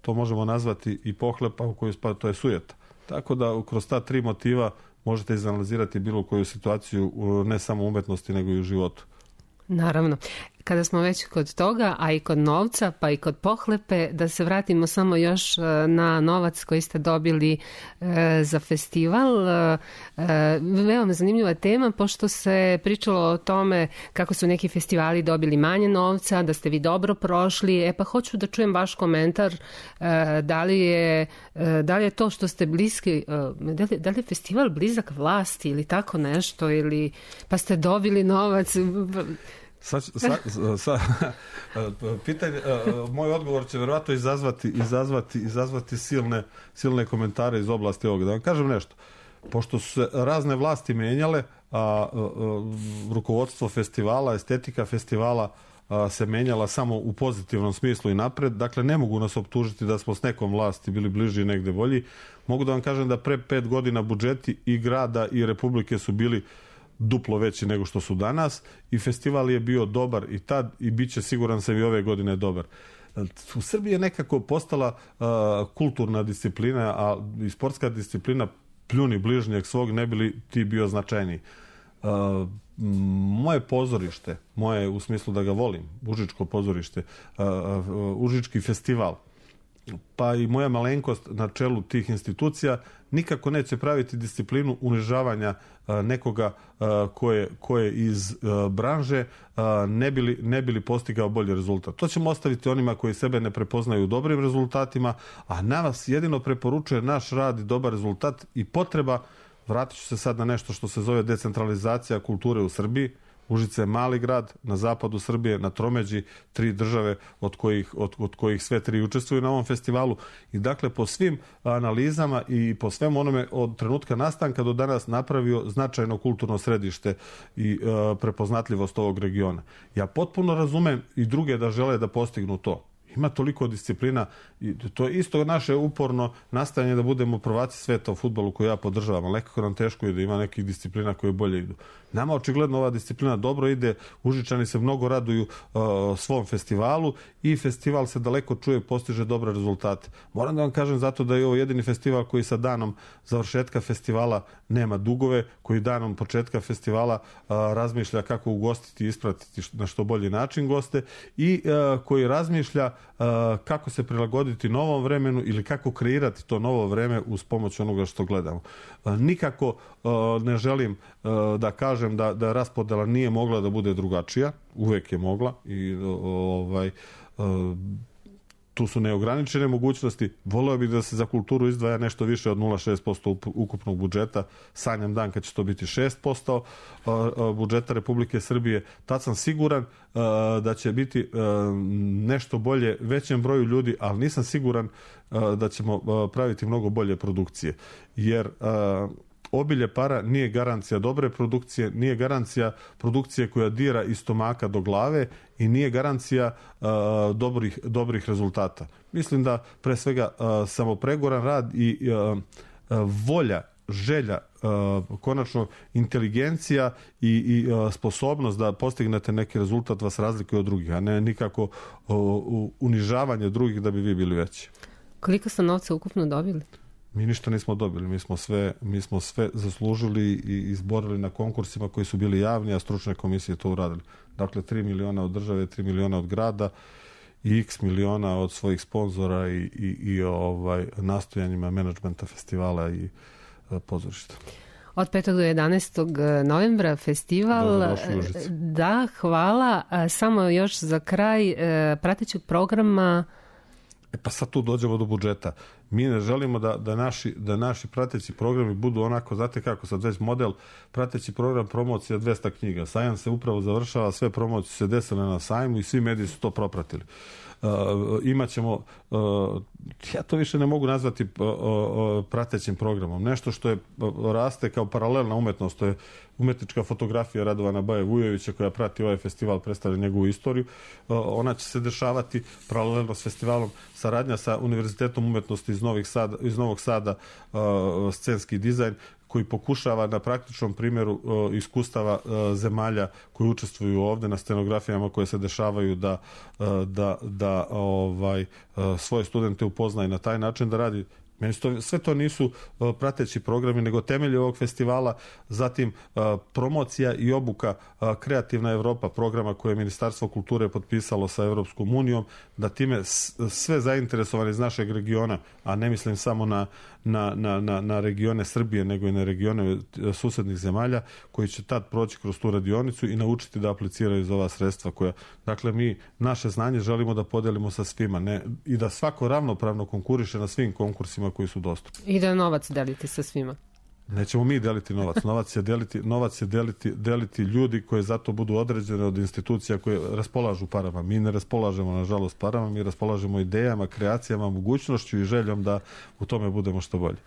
to možemo nazvati i pohlepa u koju spada, to je sujeta. Tako da kroz ta 3 motiva možete izanalizirati bilo koju situaciju ne samo u umetnosti nego i u životu. Naravno. kada smo već kod toga, a i kod novca, pa i kod pohlepe, da se vratimo samo još na novac koji ste dobili za festival. Veoma zanimljiva tema, pošto se pričalo o tome kako su neki festivali dobili manje novca, da ste vi dobro prošli. Pa hoću da čujem vaš komentar, da li je to što ste bliski, da li je festival blizak vlasti ili tako nešto, ili pa ste dobili novac. Pitanje, moj odgovor će verovatno izazvati silne komentare iz oblasti ovoga. Da vam kažem nešto, pošto su se razne vlasti menjale, a rukovodstvo festivala, estetika festivala se menjala samo u pozitivnom smislu i napred, dakle ne mogu nas optužiti da smo s nekom vlasti bili bliži i negde bolji. Mogu da vam kažem da pre 5 godina budžeti i grada i republike su bili duplo veći nego što su danas i festival je bio dobar i tad i bit će, siguran sam, i ove godine dobar. U Srbiji je nekako postala kulturna disciplina, a i sportska disciplina pljuni bližnjeg svog, ne bi li ti bio značajniji. Moje pozorište, moje u smislu da ga volim, Užičko pozorište, Užički festival, pa i moja malenkost na čelu tih institucija nikako neće praviti disciplinu unižavanja nekoga ko je iz branže, ne bi li postigao bolji rezultat. To ćemo ostaviti onima koji sebe ne prepoznaju u dobrim rezultatima, a nas jedino preporučuje naš rad i dobar rezultat i potreba. Vratit ću se sad na nešto što se zove decentralizacija kulture u Srbiji. Užice je mali grad na zapadu Srbije, na tromeđi 3 države od kojih sve 3 učestvuju na ovom festivalu. I dakle, po svim analizama i po svem onome od trenutka nastanka do danas napravio značajno kulturno središte i prepoznatljivost ovog regiona. Ja potpuno razumem i druge da žele da postignu to. Ima toliko disciplina i to je isto naše uporno nastajanje da budemo prvaci sveta u fudbalu koju ja podržavam, ali nekako nam teško je da ima nekih disciplina koje bolje idu. Nama očigledno ova disciplina dobro ide, Užičani se mnogo raduju svom festivalu i festival se daleko čuje, postiže dobre rezultate. Moram da vam kažem zato da je ovo jedini festival koji sa danom završetka festivala nema dugove, koji danom početka festivala razmišlja kako ugostiti i ispratiti na što bolji način goste i koji razmišlja kako se prilagoditi novom vremenu ili kako kreirati to novo vreme uz pomoć onoga što gledamo. Nikako ne želim da kažem da raspodela nije mogla da bude drugačija, uvek je mogla i tu su neograničene mogućnosti. Voleo bih da se za kulturu izdvaja nešto više od 0,6% ukupnog budžeta. Sanjam dan kad će to biti 6% budžeta Republike Srbije. Tad sam siguran da će biti nešto bolje većem broju ljudi, ali nisam siguran da ćemo praviti mnogo bolje produkcije. Jer obilje para nije garancija dobre produkcije, nije garancija produkcije koja dira iz stomaka do glave i nije garancija dobrih rezultata. Mislim da pre svega samopregoran rad i volja, želja, konačno inteligencija i sposobnost da postignete neki rezultat vas razlikuje od drugih, a ne nikako unižavanje drugih da bi vi bili veći. Koliko ste novca ukupno dobili? Mi ništa nismo dobili, mi smo sve zaslužili i izborili na konkursima koji su bili javni, a stručne komisije to uradili. Dakle, 3 miliona od države, 3 miliona od grada i x miliona od svojih sponzora i nastojanjima menadžmenta festivala i pozorišta. Od 5. do 11. novembra festival. Da, hvala. Samo još za kraj pratećeg programa. Pa sad tu dođemo do budžeta. Mi ne želimo da naši prateći programi budu onako, znate kako, sad već model prateći program promocija 200 knjiga. Sajam se upravo završava, sve promocije se desile na sajmu i svi mediji su to propratili. Imaćemo, ja to više ne mogu nazvati pratećim programom. Nešto što je raste kao paralelna umetnost, to je umetnička fotografija Radovana Baje Vujovića koja prati ovaj festival, predstavlja njegovu istoriju. Ona će se dešavati paralelno s festivalom, saradnja sa Univerzitetom umetnosti iz Novog Sada, scenski dizajn, koji pokušava na praktičnom primjeru iskustava zemalja koji učestvuju ovde na scenografijama koje se dešavaju da svoje studente upozna i na taj način da radi Sve to nisu prateći programi, nego temelji ovog festivala, zatim promocija i obuka Kreativna Evropa, programa koje je Ministarstvo kulture potpisalo sa Evropskom unijom, da time sve zainteresovani iz našeg regiona, a ne mislim samo na regione Srbije, nego i na regione susednih zemalja, koji će tad proći kroz tu radionicu i naučiti da apliciraju za ova sredstva koja, dakle, mi naše znanje želimo da podelimo sa svima, i da svako ravnopravno konkuriše na svim konkursima koji su dostupni. I da novac delite sa svima. Nećemo mi deliti novac. Novac će deliti ljudi koji zato budu određene od institucija koje raspolažu parama. Mi ne raspolažemo, nažalost, parama, mi raspolažemo idejama, kreacijama, mogućnošću i željom da u tome budemo što bolje.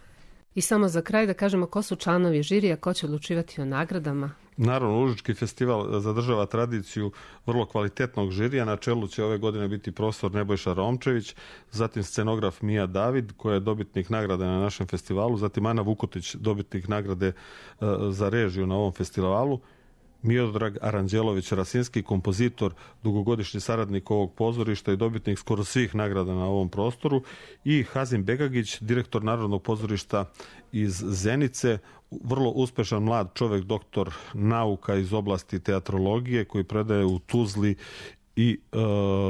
I samo za kraj da kažemo ko su članovi žirija, ko će odlučivati o nagradama. Naravno, Užički festival zadržava tradiciju vrlo kvalitetnog žirija. Na čelu će ove godine biti profesor Nebojša Romčević, zatim scenograf Mija David, koja je dobitnik nagrade na našem festivalu, zatim Ana Vukotić, dobitnik nagrade za režiju na ovom festivalu, Miodrag Aranđelović Rasinski, kompozitor, dugogodišnji saradnik ovog pozorišta i dobitnik skoro svih nagrada na ovom prostoru, i Hazim Begagić, direktor Narodnog pozorišta iz Zenice, vrlo uspešan mlad čovek, doktor nauka iz oblasti teatrologije, koji predaje u Tuzli i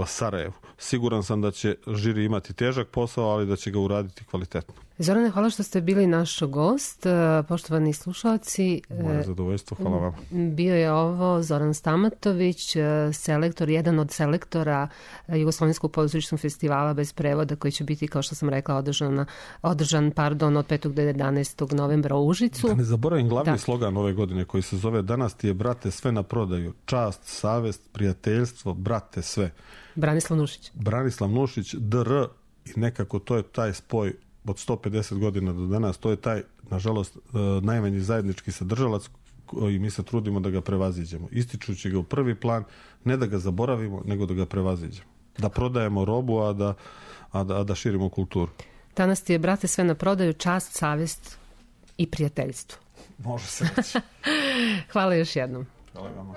Sarajevu. Siguran sam da će žiri imati težak posao, ali da će ga uraditi kvalitetno. Zorane, hvala što ste bili naš gost. Poštovani slušalci, moje zadovoljstvo, hvala vam. Bio je ovo Zoran Stamatović, selektor, jedan od selektora Jugoslovenskog pozorišnog festivala bez prevoda, koji će biti, kao što sam rekla, održan od 5. do 11. novembra u Užicu. Da ne zaboravim glavni slogan ove godine, koji se zove "Danas ti je, brate, sve na prodaju. Čast, savest, prijateljstvo, brate, sve." Branislav Nušić, DR, i nekako to je taj spoj od 150 godina do danas, to je taj, nažalost, najmanji zajednički sadržalac i mi se trudimo da ga prevaziđemo. Ističući ga u prvi plan, ne da ga zaboravimo, nego da ga prevaziđemo. Da prodajemo robu, a da širimo kulturu. Danas ti je, brate, sve na prodaju, čast, savest i prijateljstvo. Može se reći. Hvala još jednom. Hvala vama.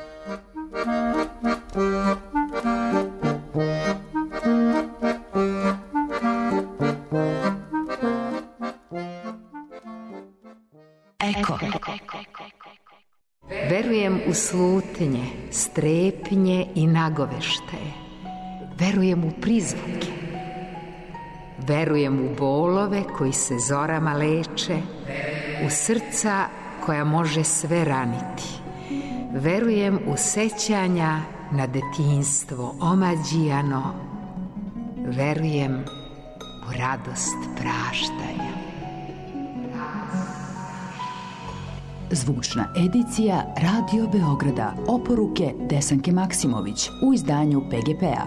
Eko. Verujem u slutnje, strepnje i nagoveštaje. Verujem u prizvuke. Verujem u bolove koji se zorama leče, u srca koja može sve raniti. Verujem u sećanja na detinjstvo omađijano. Verujem u radost praštanja. Zvučna edicija Radio Beograda. Oporuke Desanke Maksimović u izdanju PGP-a.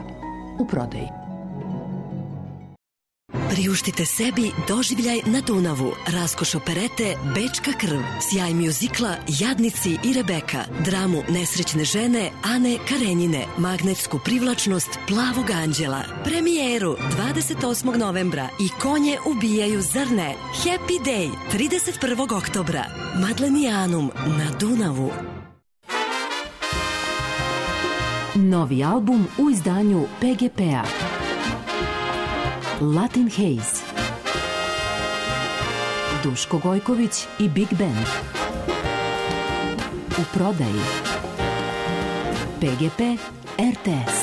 U prodaji. Priuštite sebi doživljaj na Dunavu, raskoš operete Bečka krv, sjaj mjuzikla Jadnici i Rebeka, dramu nesrećne žene Ane Karenjine, magnetsku privlačnost Plavog anđela, premijeru 28. novembra i Konje ubijaju zrne, Happy Day 31. oktobra, Madlenijanum na Dunavu. Novi album u izdanju PGP-a. Latin Haze, Duško Gojković i Big Band. U prodaji. PGP RTS.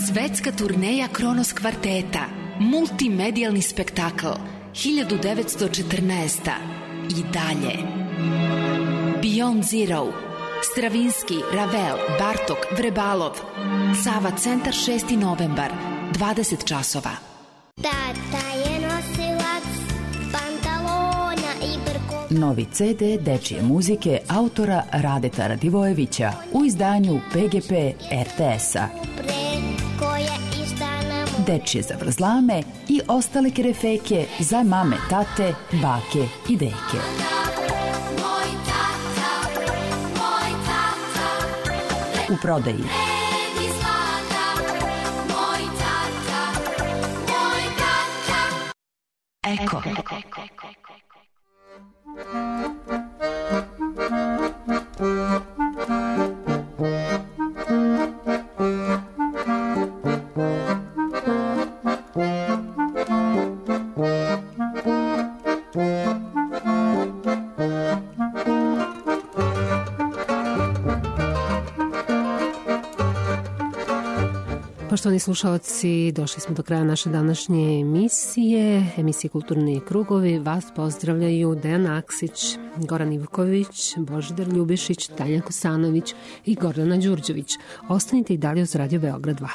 Svetska turneja Kronos kvarteta, multimedijalni spektakl 1914. I dalje. Beyond Zero, Stravinski, Ravel, Bartok, Vrebalov. Sava centar 6. novembar, 20 časova. Tata je nosilac pantalona i brko. Novi CD dečije muzike autora Radeta Radivojevića u izdanju PGP RTS-a. Dečije zavrzlame i ostale kerefeke za mame, tate, bake i deke. U prodaji. Eko. Poštovani slušalci, došli smo do kraja naše današnje emisije Kulturni krugovi. Vas pozdravljaju Dejan Aksić, Goran Ivković, Božidar Ljubišić, Tanja Kosanović i Gordana Đurđević. Ostanite i dalje uz Radio Beograd 2.